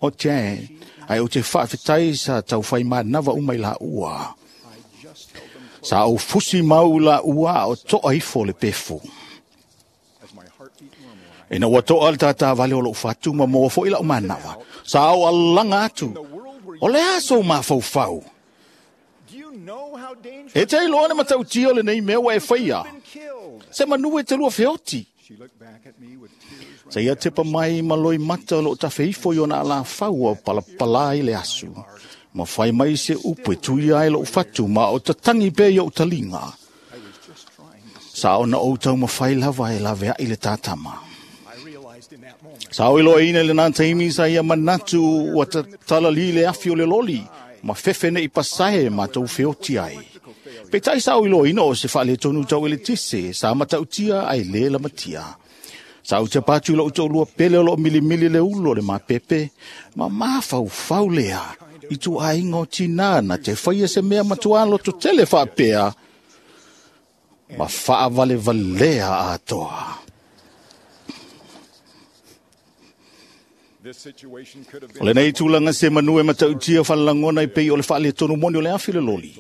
o Jan, ai o te faafetai sa taufai manava uma i laua. Sa ou fusi mau i laua a o toa ifo le pefu. Ina ua toa le tātāvale o lou fatu ma maua foi lau manava. Sa ou alaga atu, o le a sou mafaufau? E te iloa le matautia o lenei mea ua e faia. Se manu e te lua feoti. Sa ia tepa mai ma loimata o loo tafeifo i ona alafau o palapala i le asu. Ma fai mai se upu e tuia ai lou fatu ma o tatangi pea i ou taliga. Sa ona ou taumafai lava e laveai le tātama. Sa ou iloaina i lenā taimi sa ia manatu ua tatalali le afi o le loli ma fefe nei pasae matou feoti ai. Peitai sa ou iloaina o se faaletonu tau eletise sa matautia ai lē lamatia. Sa ou tapa atu i lou toalua pele o loo milimili le ulu o le mapepe ma mafaufau lea i tuaiga o tinā na te faia se mea matuā lototele faapea ma faavalevalea atoa. O lenei tulaga se manu e matautia falalagona i pei o le faaletonu moni o le afi le loli.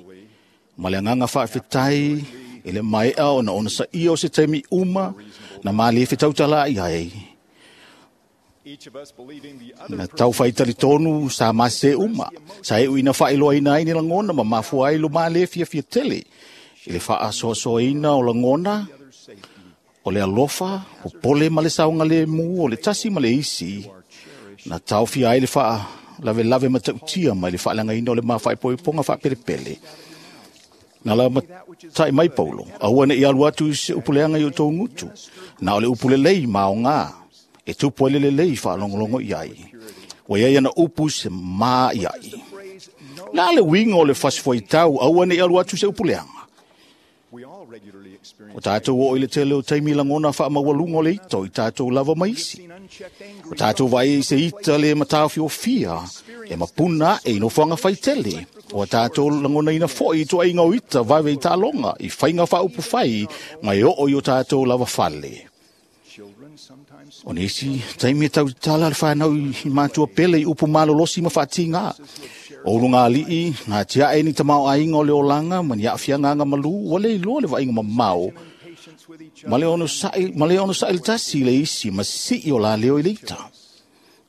Ma le agaga faafetai e le maea ona onosaia o se taimi uma na malie fetautalaai ai. Na tau faitalitonu sa mase uma, sa euina faailoaina ai ni lagona ma mafua ai lo malie fiafia tele i le faasoasoaina o lagona, o le alofa, popole ma le saogalemu o le tasi ma le isi, na taofia ai le faalavelave matautia mai le faaleagaina o le mafaepoepoga faapelepele. Na la matai mai Paulo, aua ne i alu atu i se upuleaga i outou gutu, na o le upu lelei ma aogā, e tupu ai le lelei faalogologo i ai. Ua iai ana upu se mā i ai. La le uiga o le fasifuaitau, aua ne i alu atu i se upuleaga. O tātou oo i le tele o taimi lagona faamaualuga o le ita o i tātou lava ma isi. O tātou vaai i se ita le mataofiofia e mapuna ae i nofoaga faitele. O a tātou lagonaina foi i tuaiga o ita vave i taaloga, i faiga faaupufai ma e oo i o tātou lava fale. O nisi taimi e tautala le whanau i mātua pele i upu malolosi ma whaatinga. O urunga alii, ngā tia e ni tamao ainga o le olanga, ma ni afianga anga malu, wale i loa le vainga mamao. Ma le ono sa'i le tasi le isi, ma sisi o la leo i leita.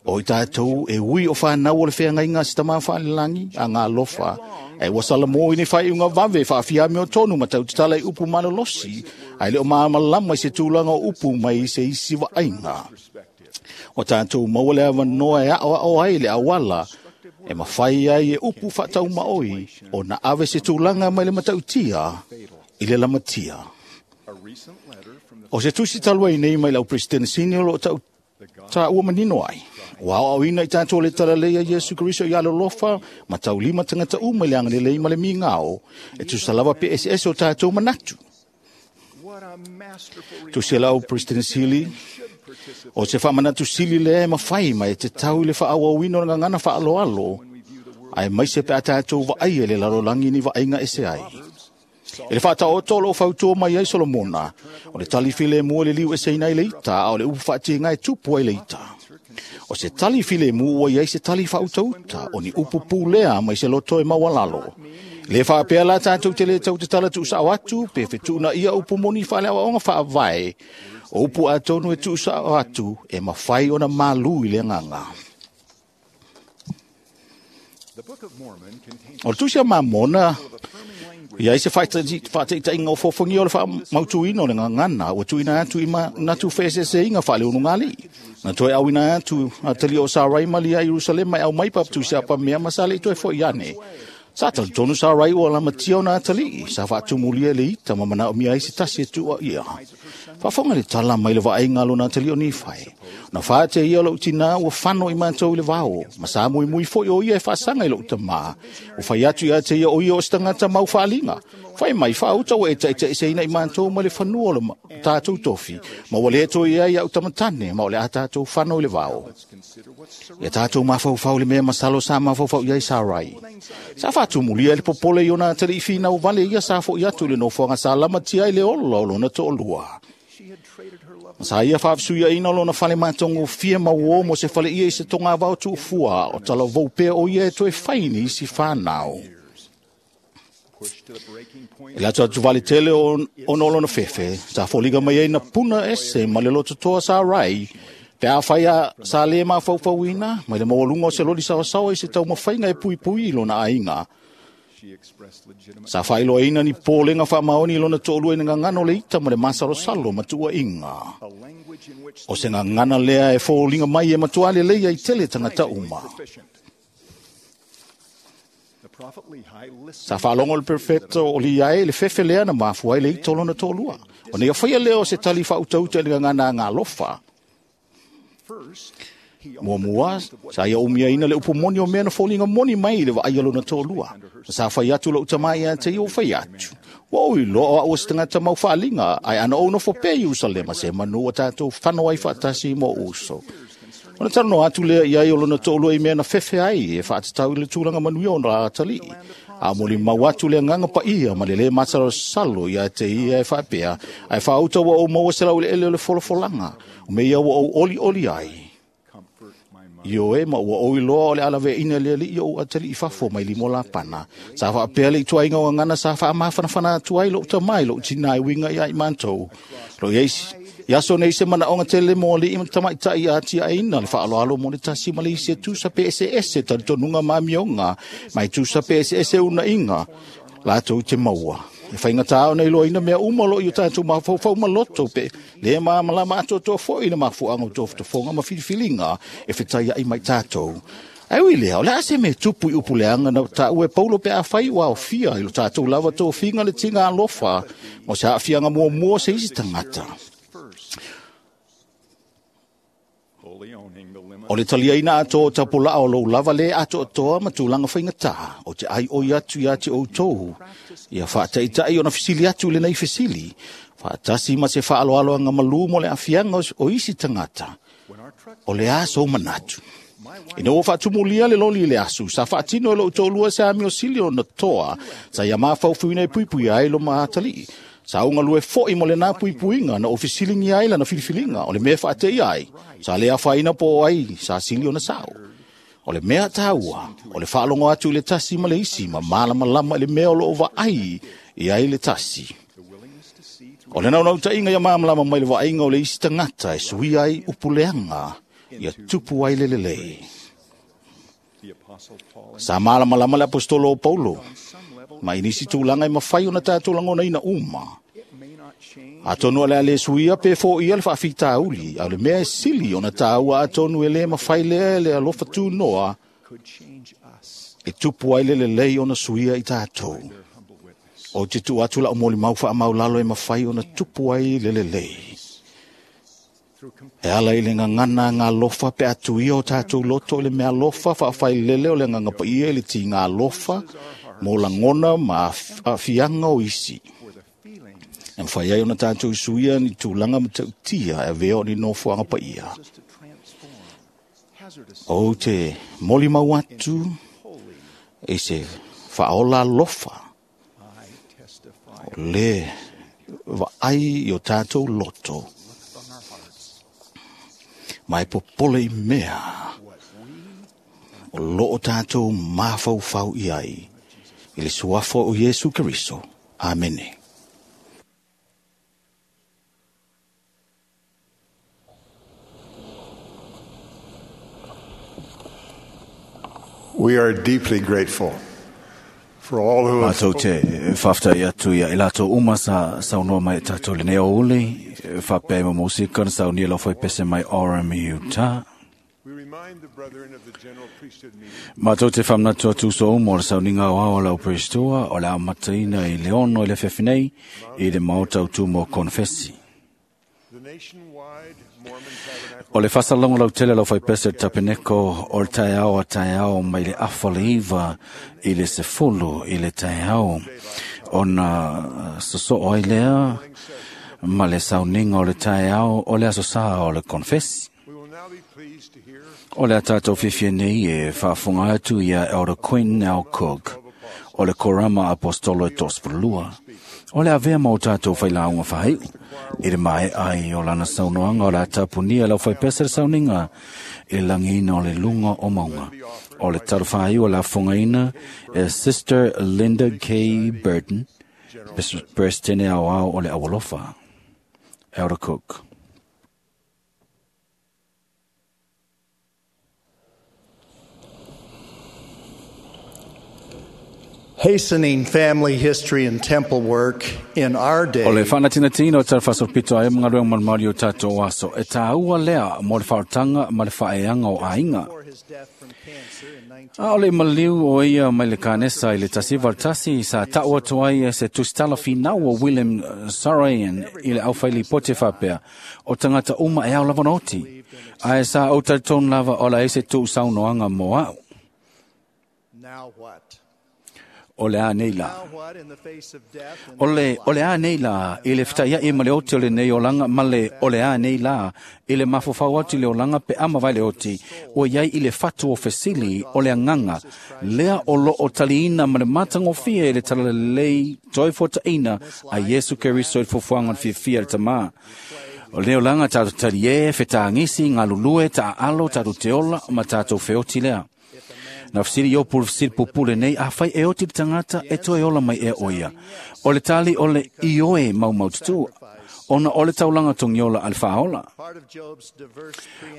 O i tātou e ui o whanau o le wheangainga si tama whaalilangi a ngā lofa. E wasala mō i ne whai unga wawe whaafia meo tonu ma tau tatala i upu malolosi. Ai leo maamalama i se tūlanga o upu mai i se isi wa ainga. O tātou maua le awanoa e ao ao ai le awala. E mawhai ai e upu whaatau maoi o na awe se tūlanga mai le matautia i le lamatia. O se tusi talua i nei mai lau President Senior o tau tā ua manino ai. O ao au ina i tātou le talalei a Yesu Kristo i alolofa, ma taulima tangata uma i le angalelei ma le mingao, e tusa lava pe ese o tātou manatu. Tusi lau President Sili, o se whamanatu sili le e mawhai mai e te tau i le whaawawino nga ngana whaaloalo, ai mai se pe a tātou waai e le lalolangi ni wainga ese ai. E le whaataoto lo whautua mai ai Solomona, o le tali file mua le liu e seina i leita, a o le upu whaatinga e tupu ai leita. O se tali file mua i ai se tali whautauta, o ni upu pūlea mai se loto e mawalalo. Le whaapea la tātou te le tau te tala tuusao atu, pe whetuna ia upu moni whaaleawa onga whaavae, o upu atonu e tuusao atu, e mawhai ona malu i le nganga. O le tusi a mamona, ia i se whaataitainga o fōwhangi o le whaamautuina o le ngangana, ua tuina atu i natu whaesese inga whaale unu ngali. Na toe awina atu a tali o Sarai malia i Jerusalema e au mai papatu se apa mea masale i toe fo iane. Sa talitonu Sarai o alamatia o nā tali, sa whaatumulia le ita ma mana o mia isi tasi e tua ia. Whaafonga le tala mai le vaenga lo nā tali o Nifai. Na whaate ia lo tina ua whano i mātou i le vao, ma sa mui mui fo i o ia e whaasanga i lo utama. O whai atu ia te ia o ia o stangata mau whaalinga. Whai mai whaauta o e taita i seina i mātou ma le whanua o le tātou tofi. Ma wale eto ia ia utamatane, ma o le a tātou whano i le vao. Ia tātou mawhauwhau le mea masalo sa mawhauwhau ia i Sarai. Sa whaatumulia le popole i ona tali i whina o vale ia sa fo i atu le nofoanga sa lamatia i le ola o lona to'olua. Sa ia whaafsuia ina o lona whale mātongo fia mau mo se whale ia i se tonga wao tuufua o tala vau o ia e toe whaini si whanau. E le atu atu vale tele o no lona fefe, sa foliga mai ai na puna ese ma le loto toa sa rai, pe a whai a sa le mawhauwhauina, mai le mawalunga o se loli sawasawa i se tau mawhainga e pui pui i lona ainga. Sa whailoa ina ni pōlenga whaamaoni i lona to'olua i ngangano le ita ma le masalosalo matua inga. O se ngangana lea e fōlinga mai e matua le leia i tele tangata uma. Sa whaalongo le perfecto o li ae le fefe lea na mafua i le ita o lona to'olua. O nei awhaia lea o se tali whautauta i ngangana ngā lofa. Mua mua, sa ia umia ina le upu moni o mea na fōlinga moni mai le waai lona to'olua. Sa whai atu lo utamai a te i o whai atu. Wa oi loa o se tangata mau whaalinga, ai ana o nofo pe Yerusalema se manu o tātou whano ai whaatasi mo uso. Ona tarano atu lea i ai o lona to'olua i mea na fefe ai e whaatatau i le tūranga manuia o rā tali. A moli mau atu le nganga pa ia ma le le mataro salo ia te ia e whaapea. Ai whaauta wa o maua se lau le ele o le folofolanga. O me ia wa o oli oli ai. Io e ma ua oi loa o le alawe ina le li o atali i fafo mai limo la pana. Sa whaapea le itua inga o ngana sa wha mawhanawhana atu ai lo utamai lo utina i winga ia i mantou. Lo iei Iaso nei se mana onga tele mo le ima tamaitai a tia aina le whaaloalo mo le tasi ma le isi e tusa pe ese ese talitonunga mamionga mai tusa pe ese ese una inga lātou te maua. E whainga tāo nei loa ina mea uma lo i o tātou mawhauwhau maloto pe le māmalama atoatoa foi le mafuanga o tōfutafonga ma filifilinga e whitai ai mai tātou. Ai ui lea, o le ase me tupu i upu leanga na tā ue paulo pe a whai ua o fia i lo tātou lava tō whinga le tinga alofa mo se aafianga mua mua se isi tangata. O le talia ina ato o tapula o lou lava le ato o toa ma tūlanga whaingata o te ai oi atu ia te outou. Ia whaataitai o na fisili atu le nei fisili. Whaatasi ma se whaaloalo anga malu mo le afianga o isi tangata. O le aso manatu. Ina ua whaatumulia le loli le asu, sa whaatino e lo utolua se ami o sili o na toa, sa ia mawhauwhuina e puipui ai lo maatalii. Sa ou galue fo'i mo lenā puipuiga na ou fesiligia ai lana filifiliga o le mea e faateia ai sa lē afaina po o ai sa sili ona sa'o. O le mea tāua o le faalogo atu i le tasi ma le isi ma malamalama i le mea o loo vaai i ai le tasi. O le naunautaiga ia malamalama mai le vaaiga o le isi tagata e suia ai upuleaga ia tupu ai le lelei. Sa malamalama le apostolo o Paulo ma i nisi tulaga e mafai ona tatou lagonaina uma. Atonu o le a lē suia pe foia le faafitauli, a o le mea e sili ona tāua atonu e lē mafai lea e le alofa tunoa e tupu ai le lelei ona suia i tatou. O te tuu atu la'u molimau faamaulalo e mafai ona tupu ai le lelei. E ala i le gagana galofa pe atu ia o tatou loto i le mea alofa faafailele o le agaga paia i le tiga alofa mo lagona ma aafiaga o isi. E mafai ai ona tatou suia ni tulaga matautia e avea o ni nofoaga paia. Ou te molimau atu i se faaola alofa o le vaai i o tatou loto ma e popole i mea o loo tatou mafaufau i ai i le suafa o Iesu Keriso. Amene. We are deeply grateful for all who have Mātou te whaftai atu ia i lātou uma sa saunoa mai e tātou le neo uli, whapea mo musika na saunia lau whai pese mai Orem Utah. Mātou te whamnatu atu so umo o le sauninga o ao lau Pristoa o le amataina i le ono i le fewhinei i le maota utumo konfesi. O le fasalongo lau tele lau whaipese tapeneko o le taeao a taeao mai le afa le iwa i le sefulu i le taeao. Ona sosoo ai lea ma le sauninga o le taeao o le aso sā o le konfesi. O le a tātou fiafia nei e faafofoga atu ia Elder Quinn L. Cook o le Korama Apostolo e 32. O le avea ma o tātou whailāunga whahaiu. I le mae ai o lana saunoanga o le atapunia lau whaipesa le sauninga i le langina o le lunga o maunga. O le taro whahaiu o la fongaina e Sister Linda K. Burton, Presidente au ao o le awalofa. Elder Cook. Hastening family history and temple work in our day. O le whanatinatina o tara pito ai mga ruang malmauri o tātou aso. E tāua lea mo le whaotanga ma le whaeanga o ainga. A o le maliu o ia mai le kānesa i le tasi valtasi sa taua atu ai e se tusitala finau o William Sarayan i le auwhaili pote whapea o tangata uma e au lava oti. Ae sa o tauton lava o la ese tuu saunoanga mo au. Now what? O le a nei la. O le a nei la, i le whitai ma le oti o le nei olanga, ma le o le a nei la, i le mafofau atu le olanga pe ama vai le oti, o iai i le whatu o fesili o le anganga, lea o lo o taliina ma le matangofia i le talalelei toi fota ina a Yesu Keriso i fufuanga o fiafia le tamā. O le olanga tātou tali e, whetangisi, ngā lulue, tā alo, tātou te ola, ma tātou wheoti lea. Na fesili i opu fesili pupule nei, a whai e oti le tangata e toe ola mai e oia. O le tali o le ioe mau mau tutu, ona o le taulanga tongiola al whaola.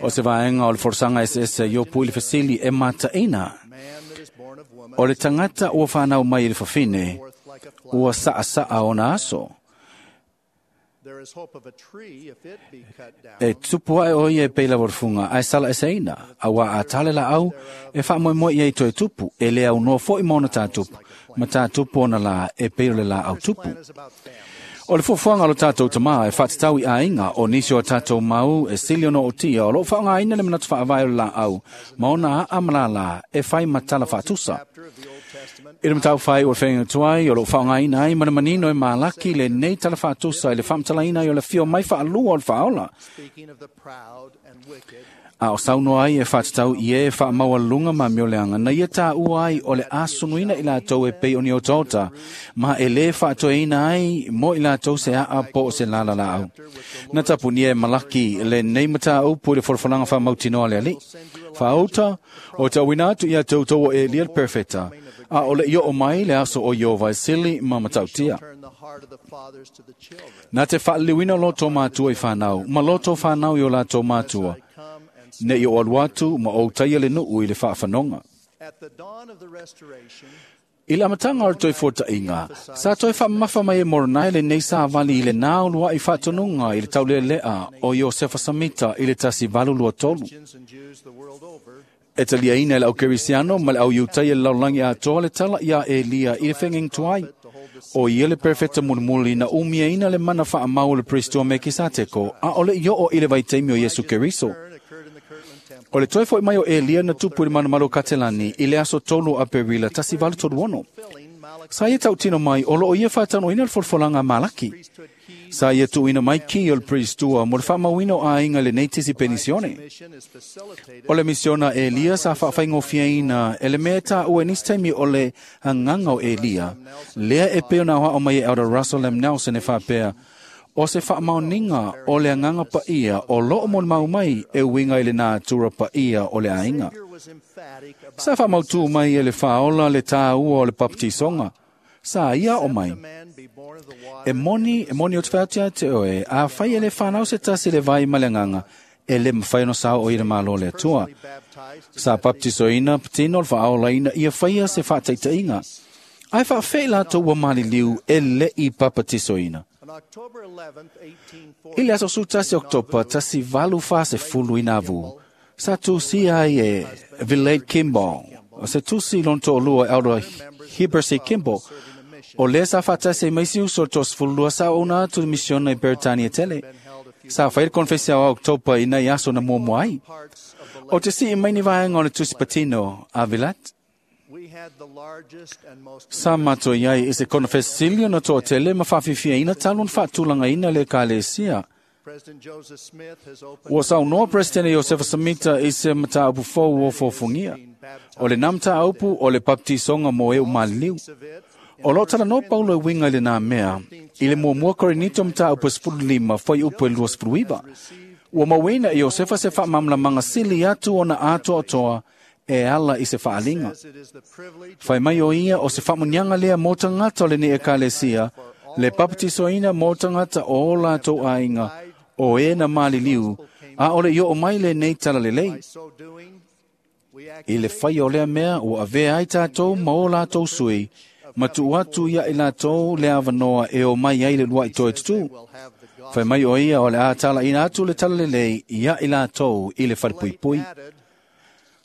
O se vaenga o le forsanga SS i opu i le fesili e mataina. O le tangata ua whanau mai i le whawhine, ua saa saa ona aso. E tupu ae o ia e peila warufunga, ae sala e seina, a wā a tale la au, e wha moe moe ia i toe tupu, e le au noa foi maona tā tupu, ma tā tupu ona la e peila le la au tupu. O le fuafuaga o lo tatou tamā e faatatau i aiga o nisi o tatou mau e sili ona ootia o loo faaaogaina le manatu faavae o le laau ma ona aa ma lalā e fai ma tala faatusa. I le mataupu o le feagaiga tuai o loo faaaogaina ai ma le manino e Malaki lenei tala faatusa i le faamatalaina ai o le afio mai faalua o le Faaola. A o saunoa ai e faatatau i e faamaualuluga ma amioleaga na ia taua ai o le asunuina i latou e pei o ni otaota ma e lē faatoeina ai mo i latou se aa po o se lalalaau. Na tapunia e Malaki lenei mataupu i le folafolaga faamautinoa a le Alii. Faauta o tauina atu ia toutou o Elia le perfeta, a o le i oo mai le aso o Ieova e sili ma matautia. Na te faaliliuina loto matua i whanau, ma loto whanau i o latou matua, ne i o alu atu ma o taia le nuu i le whaawhanonga. I le amataga o le toe fuataʻiga, sa toe faamamafa mai e Moronai lenei savali i le nā uluaʻi faatonuga i le tauleleʻa o Iosefa Samita i le 1823. E taliaina e le aukerisiano ma le au Iutaia le lalolagi atoa le tala iā Elia i le fegaiga tuai. O ia le perfeta mulimuli na umiaina le mana faamau o le Pristo Mekisateko, a o le i oo i le vaitaimi o Iesu Keriso. O le toe foi mai o Elia na tupu i le manumalo o Katelani i le aso 3 Aperila 1836. Sa ia tautino mai o loo ia faataunuuina le folafolaga a Malaki. Sa ia tuuina mai ki o le Priestua mo le faamauina o aiga i lenei tisi penisione. O le misiona Elia sa faafaigofieina e le mea e taua i nisi taimi o le agaga o Elia, lea e pei ona aoao mai e Elder Russell M. Nelson e faapea, o se faamaoniga o le agaga paia o loo molimau mai e uiga i le natura paia o le aiga. Sa faamautū mai e le Faaola le tāua o le papatisoga. Sa ia o mai. E moni, e moni o te whaatia te oe, a whai e le whanau se tasi le vai ma le nganga, e le mawhai no sao o i le malo le atua. Sa baptisoina patino le whaaola ina ia whaia se whaataitainga. Ai whaawhei lātou ua maliliu e le i papatisoina. I le aso 11 Oktopa 1840 i Nauvoo, sa tusia ai e Vilate Kimball, o se tusi lona toalua Elder Heber C. Kimball, o lea sa faatasi ai ma isi uso o le 32 sa auauna atu i le misiona i Beretania tele. Sa fai le konfesi ao Oktopa i nai aso na muamua ai. O te sii mai ni vaega o le tusi patino a Vilate. Sa matou i ai i se konofesili ona toatele ma faafiafiaina talu ona faatulagaina le ekalesia. Ua saunoa Peresetene Iosefa Samita i se mataupu fou o fofogia. O lenā mataupu o le baptisoga mo e umaliliu. O loo talanoa Paulo e uiga i lenā mea i le muamua Korinito mataupu e 15 fuaiupu e 29. Ua mauina e Iosefa se faamalamalamaga sili atu ona atoatoa e ala i se faaliga. Fai mai o ia o se faamuniaga lea mo tagata o lenei ekalesia, le papatisoina mo tagata o o latou aiga, o e na maliliu, a o le i oo mai lenei talalelei. I le faia o lea mea ua avea ai tatou ma o latou sui, ma tuu atu ia i latou le avanoa e o mai ai le luai toe tutū. Fai mai o ia o le a talaina atu le talalelei ia i latou i le falepuipui.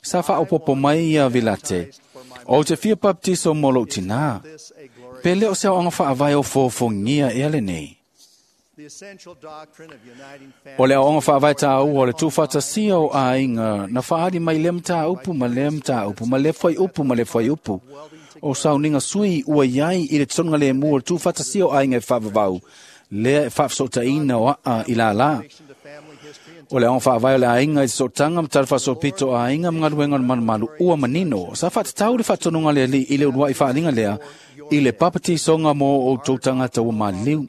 Sa faaopopo mai ia Vilate, o te fia baptiso mo lou tinā. Pe le o se aoaoga faavae o fofogia ea lenei. O le aoaoga faavae tāua o le tuufaatasia o aiga na faaali mai lea mataupu ma lea mataupu ma lea fuaiupu ma lea fuaiupu. O sauniga sui ua iai i le totogigalemu o le tuufaatasia o aiga e faavavau, lea e faafesootaina o aa i lalā. O le aoga faavae o le aiga i se sootaga ma talafaasolopito o aiga ma galuega o le malumalu ua manino. Sa faatatau le faatonuga a le Alii i le uluai faaliga lea i le papatisoga mo outou tagata ua maliliu.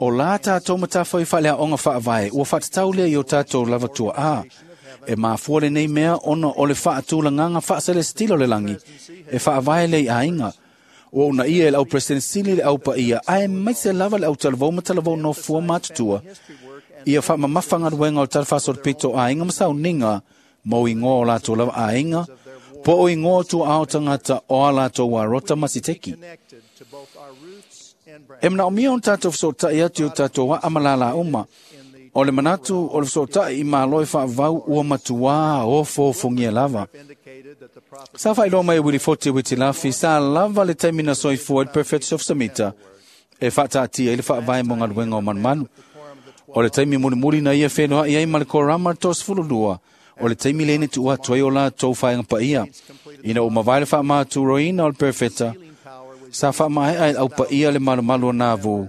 O la tatou matafai faaleaoga faavae ua faatatau lea i o tatou lava tuaa. E mafua lenei mea ona o le faatulagaga faaselesitila o le lagi e faavae lea i aiga. Ua uunaia e le au President sili le au paia ae maise lava le au talavou ma talavou nofua matutua ia faamamafa galuega o le talafaasolopito o aiga ma sauniga mo igoa o latou lava aiga po o igoa o tuaao tagata o a latou arota ma siteki. E manaomia ona tatou fesootai atu i o tatou aa ma lālā uma. O le manatu o le fesootai i malo e faavavau ua matuā ofofogia lava. Sa faailoa mai e Wilifoti Witilafi sa lava le taimi na soifua i le Perfect of Samita e faataatia i le faavae mo galuega o malumalu. O le taimi mulimuli na ia fenoaʻi ai ma le korama le 32 o le taimi lea na tuua atu ai o latou faegapaia. Ina ua mavae le faamaturoina o le perofeta, sa faamaea e le aupaia le malumalu o Nauvoo,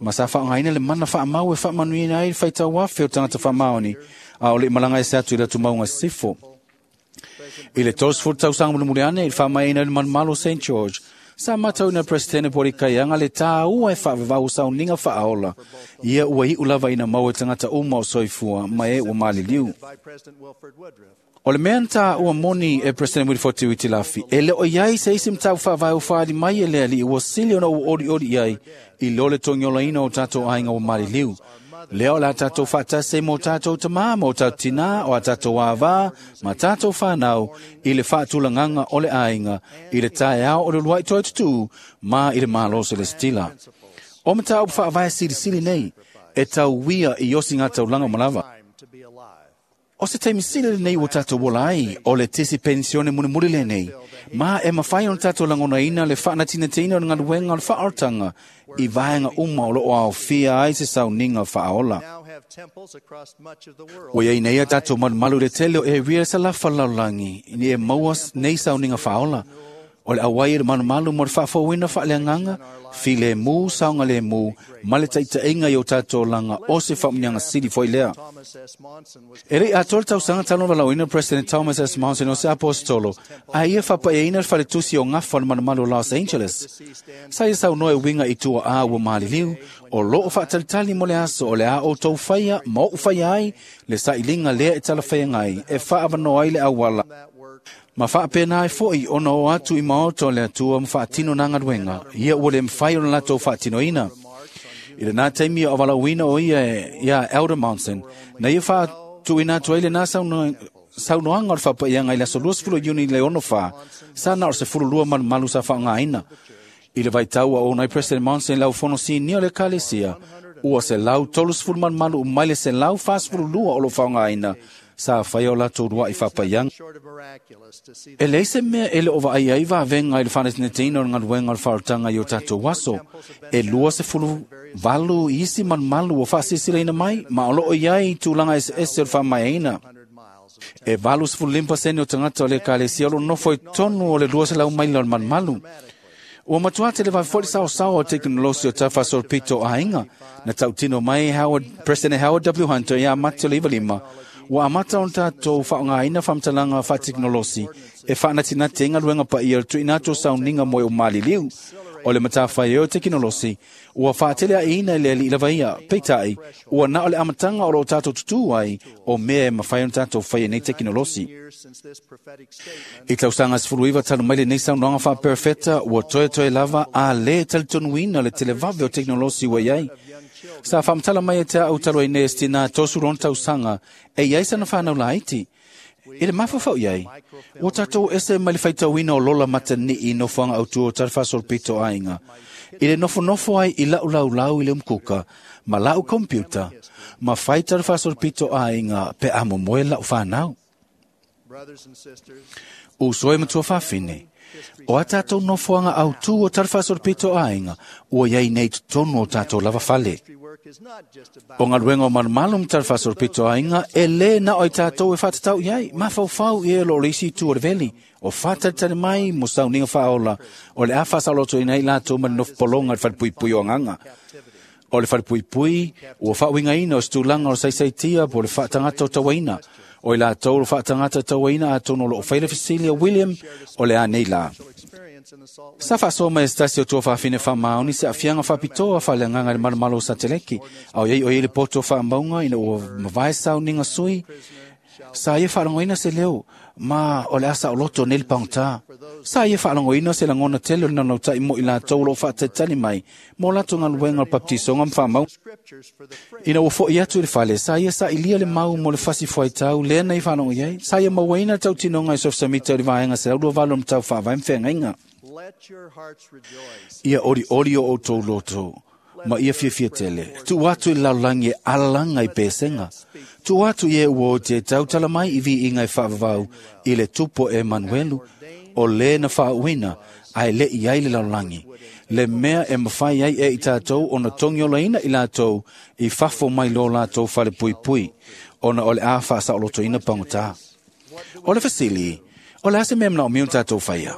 ma sa faaaogaina le mana faamau e faamanuiaina ai le faitauafe o tagata faamaoni, a o le i malaga ese atu i le atumauga sisifo. I le 30 tausaga mulimuli ane i le faamaeaina o le malumalu o St. George, sa matauina e Peresetene Polikaiaga le tāua e faavavau o sauniga faaola, ia ua iu lava ina maua e tagata uma o soifua ma e ua maliliu. O le mea na tāua moni e President Wilford Tiuitilafi, e le o i ai se isi mataupu faavae ua faaali mai e le alii ua sili ona ua olioli i ai i lo le togiolaina o tatou aiga ua maliliu. Lea o le a tatou faatasi ai mo tatou tamā, mo tatou tinā, o a tatou avā, ma tatou whanau i le faatulagaga o le aiga, i le taeao o le uluai toe tutū, ma i le malo selestila. O mataupu faavae silisili nei, e tauia i osi ngā taulanga o malava. O se taimi sili lenei ua tatou ola ai, o le tisi pensione mulimuli lenei, ma e mafai ona tatou lagonaina le faanatinatiina o le galuega o le faaolataga i vaega uma o loo aofia ai se sauniga faaola. Ua iai nei a tatou malumalu i le tele o area sa lafa lalolagi ni e maua nei sauniga faaola. O le auai e le malumalu mo le faafouina faaleagaga, filemu, saogalemu, ma le taitaiga i o tatou olaga o se faamuniaga sili foi lea. E lei atoa le tausaga talu ona valaauina President Thomas S. Monson o se aposetolo, a ia faapaiaina le faletusi o gafa o le malumalu o Los Angeles. Sa ia saunoa e uiga i tuaa ua maliliu, o loo faatalitali mo le aso o le a outou faia ma ou faia ai le sailiga lea e talafeagai e faaavanoa ai le auala. Ma faapena ai foi ona o atu i maota o le Atua ma faatino nā galuega, ia ua le mafai ona latou faatinoina. I lenā taimi o avalauina o ia ia Elder Monson, na ia faatuina atu ai lenā saunoaga o le faapaiaga i le aso 20 Iuni le 64, sa na o le 12 malumalu sa faaaogaina. I le vaitau a ona ai President Monson i le aufono sinia o le Ekalesia, ua 130 malumalu mai le 142 o loo faaaogaina, sa faia o latou luai faapaiaga. E leai se mea e le o vaai ai vavega i le faanatinatiina o le galuega o le faaolataga i o tatou aso. E 28 isi malumalu ua faasiasilaina mai, ma o loo i ai tulaga eseese o le faamaeaina. E 85% o tagata o le Ekalesia o lo nofo i totonu o le 200 maila o le malumalu. Ua matua tele vave foi le saosao o tekonolosi o tafāsolopito o aiga, na tautino mai President Howard W. Hunter ia Mati o le 95, ua amata ona tatou faaaogaina faamatalaga faatekonolosi e faanatinati ai galuega paia o le tuuina atu o sauniga mo e o maliliu. O le matafaioi o tekonolosi ua faateleaiina i le alii lava ia, peitai, ua na o le amataga o loo tatou tutū ai o mea e mafai ona tatou faia nei tekonolosi. I tausaga 19 talu mai lenei saunoaga faaperofeta, ua toetoe lava a lē talitonuina le televave o tekonolosi ua i ai. Sa faamatala mai e te au talu ai nei e se tinā 30 tausaga e i ai sana whanau laiti. I le mafaufau i ai, ua tatou ese mai le faitauina o lola matani'i i nofoaga autu o talafāsolopito aiga. I le nofonofo ai i lau laulau i le umkuka, ma lau computer, ma fai talafāsolopito aiga pe a momoe lau whanau. Uso e matua whawhine, o a tātou nofoaga autū o talafāsolopito aiga, ua iai nei totonu o tātou lava fale. O galuega o malumalu ma talafāsolopito aiga, e lē na o i tātou e whaatatau i ai, mafaufau i e lo o le isi itu o le veli, o whātalitali mai mo sauniga faaola, o le a faasalotoina ai latou ma le nofopologa i le falepuipui o agaga. O le falepuipui, ua faauigaina o se tulaga o le saisaitia po o le faatagata o tauaina. O i latou o le faatagata tauaina atonu o loo fai le fesili a William o le a nei la. Sa faasoa mai e se tasi o tua faafine faamaoni se aafiaga faapitoa faaleagaga i le malumalu o Sateleki, a o iai o iai le poto o faamauga ina ua mavae sauniga sui, sa ia faalogoina se leo, ma o le a saoloto nei le pagotā. Sa ia faalogoina se lagona tele o le naunautai mo i latou o loo faatalitali mai mo latou galuega o le baptisoga ma faamau. Ina ua fo'i atu i le fale, sa ia sailia le mau mo le fasi fuaitau lea na i faalogo i ai, sa ia mauaina le tautinoga i sofisamita o le vaega 128 o matau faavae ma feagaiga. Ia olioli o outou loto, ma ia fiafia tele. Tuu atu i le lalolagi e alalaga i pesega. Tuu atu i e ua o te tautala mai i viiga e faavavau i le tupo e Emanuelu, o lē na faauuina ae le i ai le lalolagi. Le mea e mafai ai e i tatou ona togiolaina i latou i fafo mai lo latou falepuipui. ona o le a faasaolotoina pagotā. O le fesili, o le a se mea manaomia ona tatou faia?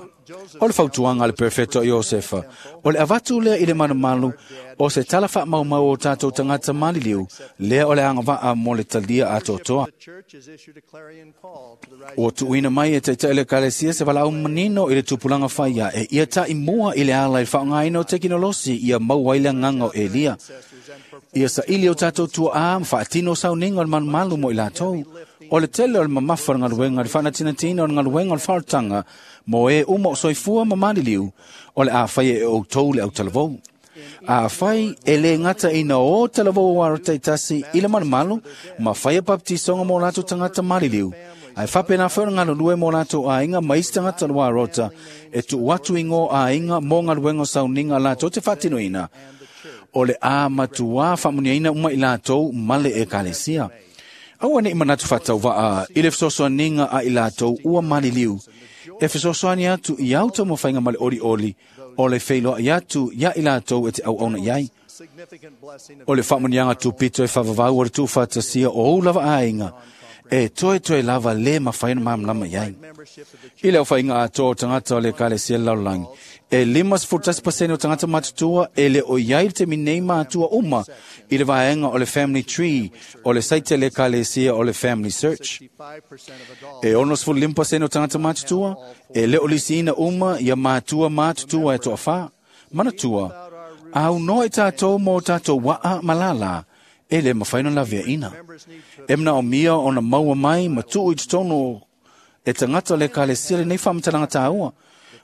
O le fautuaga a le Perofeta o Iosefa, o le avatu lea i le malumalu o se tala faamaumau o tatou tagata maliliu, lea o le agavaa mo le talia atoatoa. Ua tuuina mai e taitai o le Ekalesia se valaau manino i le tupulaga faia e ia taimua i le ala i le faaaogaina o tekinolosi ia maua ai le agaga o Elia. Ia saili o tatou tuaa ma faatino sauniga o le malumalu mo i latou. O le tele o le mamafa o le galuega le faanatinatiina o le galuega o le faaolataga mo e uma o soifua ma maliliu, o le a faia e outou le autalavou. Afai e lē gata ina o talavou aro taitasi i le malumalu ma faia baptisoga mo latou tagata maliliu, ae faapena foi o le galulue mo latou aiga ma isi tagata o le uarota e tuu atu i gō aiga mo galuega o sauniga latou te faatinoina, o le a matuā faamuniaina uma i latou ma le Ekalesia. Aua neʻi manatu faatauvaa i le fesoasoaniga a i latou ua maliliu e fesoasoani atu i au taumafaiga ma le olioli o le feiloai atu iā i latou e te auauna i ai. O le faamuniaga tupito e faavavau o le tuufaatasia o ou lava aiga e toetoe lava lē mafai ona malamalama i ai. I le aofaiga atoa o tagata o le Ekalesia le lalolagi, e 51% o tagata matutua e le o i ai le taimi nei matua uma i le vaega o le Family Tree o le saite a le Ekalesia o le Family Search. E 65% o tagata matutua e le o lisiina uma ia matua matutua e toafā. Manatua, aunoa i tatou mo tatou waa ma lālā, e lē mafai ona laveaina. E manaomia ona maua mai ma tuu i totonu e tagata o le Ekalesia lenei faamatalaga tāua.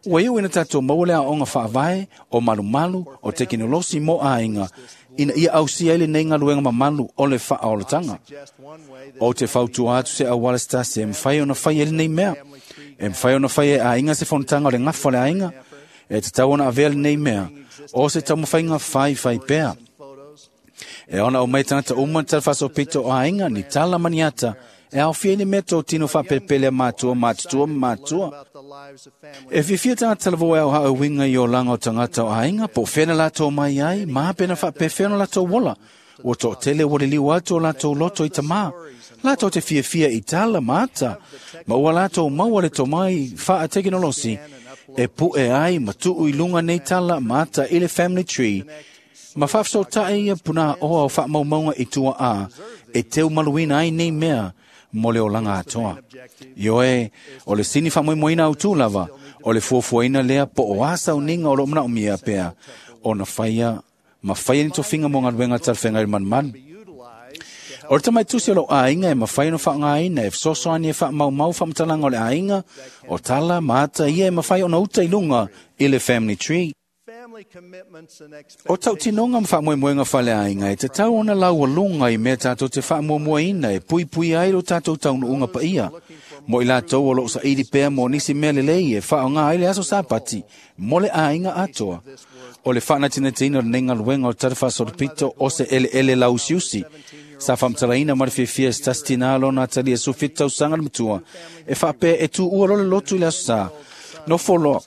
Ua iu ina tatou maua le aoaoga faavae o malumalu o tekinolosi mo aiga ina ia ausia ai lenei galuega mamalu o le faaolataga. O te fautua atu se auala se tasi e mafai ona fai ai lenei mea. E mafai ona fai e aiga se fonotaga o le gafa o le aiga, e tatau ona avea lenei mea o se taumafaiga faifai pea. E ona o mai tagata uma ni talafaasolopito o aiga, ni tala ma ni ata, e aofia ai ni mea totino faapelepele a matua matutua ma matua. E fiafia tagata talavou e aohaauiga i olaga o tagata o aiga, po o fea na latou mai ai, ma pena faapefea ona latou ola. Ua toatele ua liliu atu o latou loto i tamā. Latou te fiafia i tala ma ata, ma ua latou maua le tomai faatekinolosi e pu'e ai ma tuu i luga nei tala ma ata i le Family Tree, ma faafesootai ia punāoa o faamaumauga i tuaā e teumaluina ai nei mea mo le olaga atoa. Ioe, o le sini faamoemoeina autū lava, o le fuafuaina lea po o a sauniga o loo manaomia pea ona faia ma faia ni tofiga mo galuega talafeagai le malumalu. O le tamaitusi o lou aiga e mafai ona faaaogaina e fesoasoani e faamaumau faamatalaga o le aiga, o tala ma ata ia e mafai ona uta i luga i le Family Tree. O tautinoga ma faamoemoega faleaiga e tatau ona laualuga i mea tatou te faamuamuaina e puipuia ai lo tatou taunuuga paia. Mo i latou o loo saili pea mo nisi mea lelei e faaaoga ai le aso Sapati mo le aiga atoa. O le faanatinatiina o lenei galuega o le talafaasolopito o se eleele lauusiusi. Sa faamatalaina ma le fiafia e se tasi tinā lona atalia 17 tausaga le matua e faapea e tuua loa le lotu i le aso Sā. Nofo loa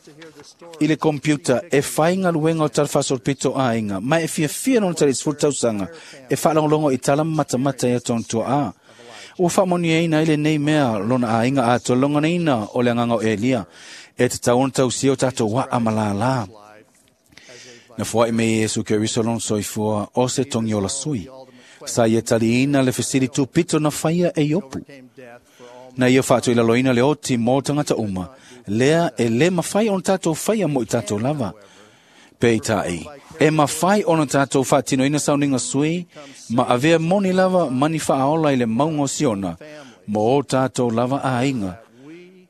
i le computer e fai galuega o talafaasolopito aiga, ma e fiafia lona tali 10 tausaga e faalogologo i tala ma matamata ia tona tuaa. Ua faamanuiaina ai lenei mea lona aiga atoa le logonaina o le agaga o Elia e tatau ona tausia o tatou waa ma lālā. Na foai mai Iesu Keriso lona soifua o se togiola sui. Sa ia taliina le fesili tupito na faia e Iopu. Na ia faatoilaloina le oti mo tagata uma, lea e lē mafai ona tatou faia mo i tatou lava. Peitai, e mafai ona tatou faatinoina sauniga sui ma avea moni lava mani faaola i le mauga o Siona mo o tatou lava aiga,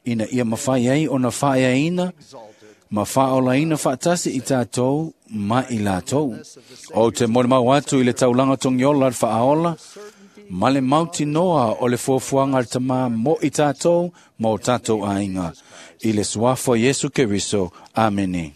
ina ia mafai ai ona faaeaina ma faaolaina faatasi i tatou ma i latou. O te molimau atu i le taulaga togiola le faaola, ma le mautinoa o le fuafuaga a le Tamā mo i tatou ma o tatou aiga. I le suafa o Iesu Keriso. Amene.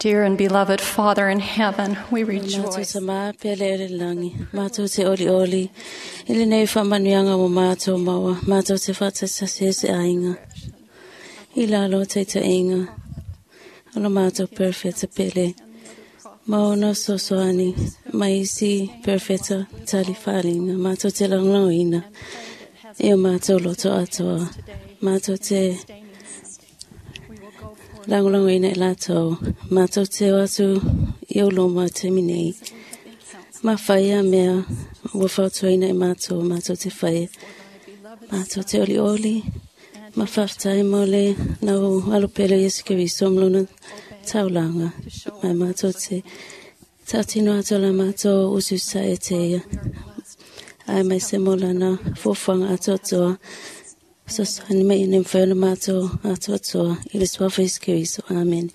Dear and beloved Father in heaven, we rejoice. Mātou mā pele ele langi, mātou te oli oli, ili nei whamanuianga mo mātou maua, mātou te whatasase se ainga. I lalo te te inga, alo mātou perfecta pele, maona sosoani, maisi perfecta tali wharinga, mātou te langlauina, e o mātou loto atoa, mātou te langolangoina i lātou, mātou te o atu i o loma te minei. Ma whaia mea, ua whautuaina i mātou, mātou te whaia. Mātou te oli oli, ma whaftai mo le nau alopele Yesu Keriso mlona taulanga. Mai mātou te tātino atu la mātou ususa e te ia. Ai mai se molana fōwhanga atoatoa. Sosani mai ene mwhaina mātou atoatoa. I le suafa Yesu Keriso. Amen.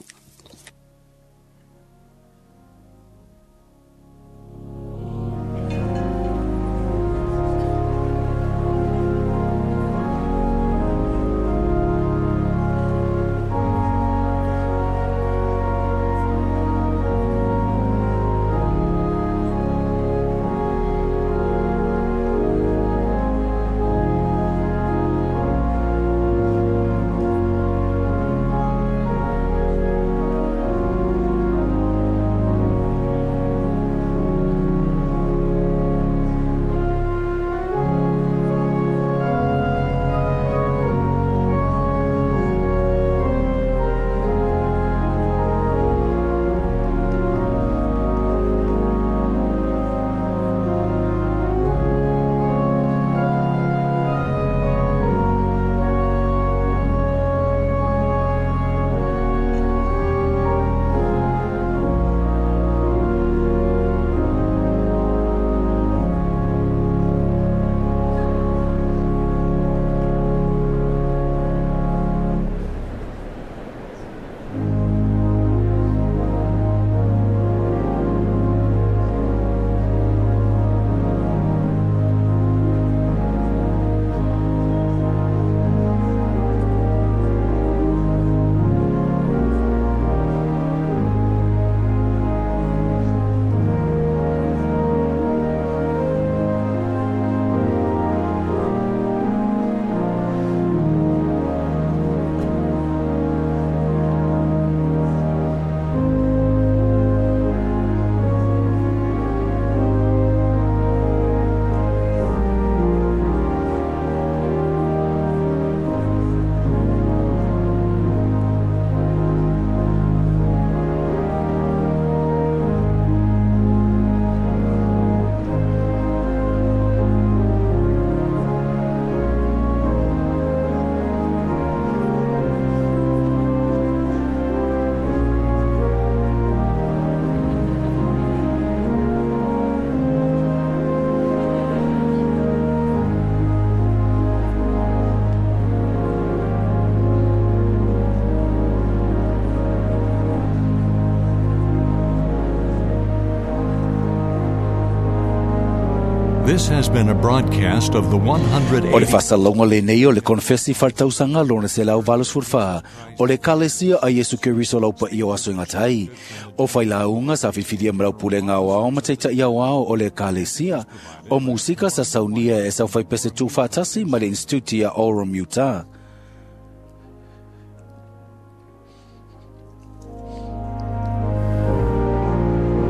This has been a broadcast of the 180. O le faasalaga lenei o le konfesi faletausaga lona 184 o le Ekalesia a Iesu Keriso laupaia o aso e gata ai. O failauga sa filifilia ma laupulega aoao ma taitaʻi aoao o le Ekalesia. O musika sa saunia e saufaipese tuufaatasi ma le Instituti a Orem Utah.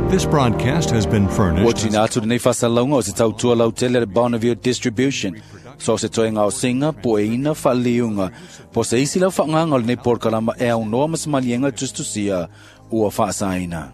This broadcast has been Ua furnished tina atu lenei faasalauga o se tautua lautele le Bonneville Distribution. So se toega o singa, poeina, faaliliuga. Po se isi lau faagaga o lenei polokalama e aunoa ma se maliega tusitusia ua faasaina.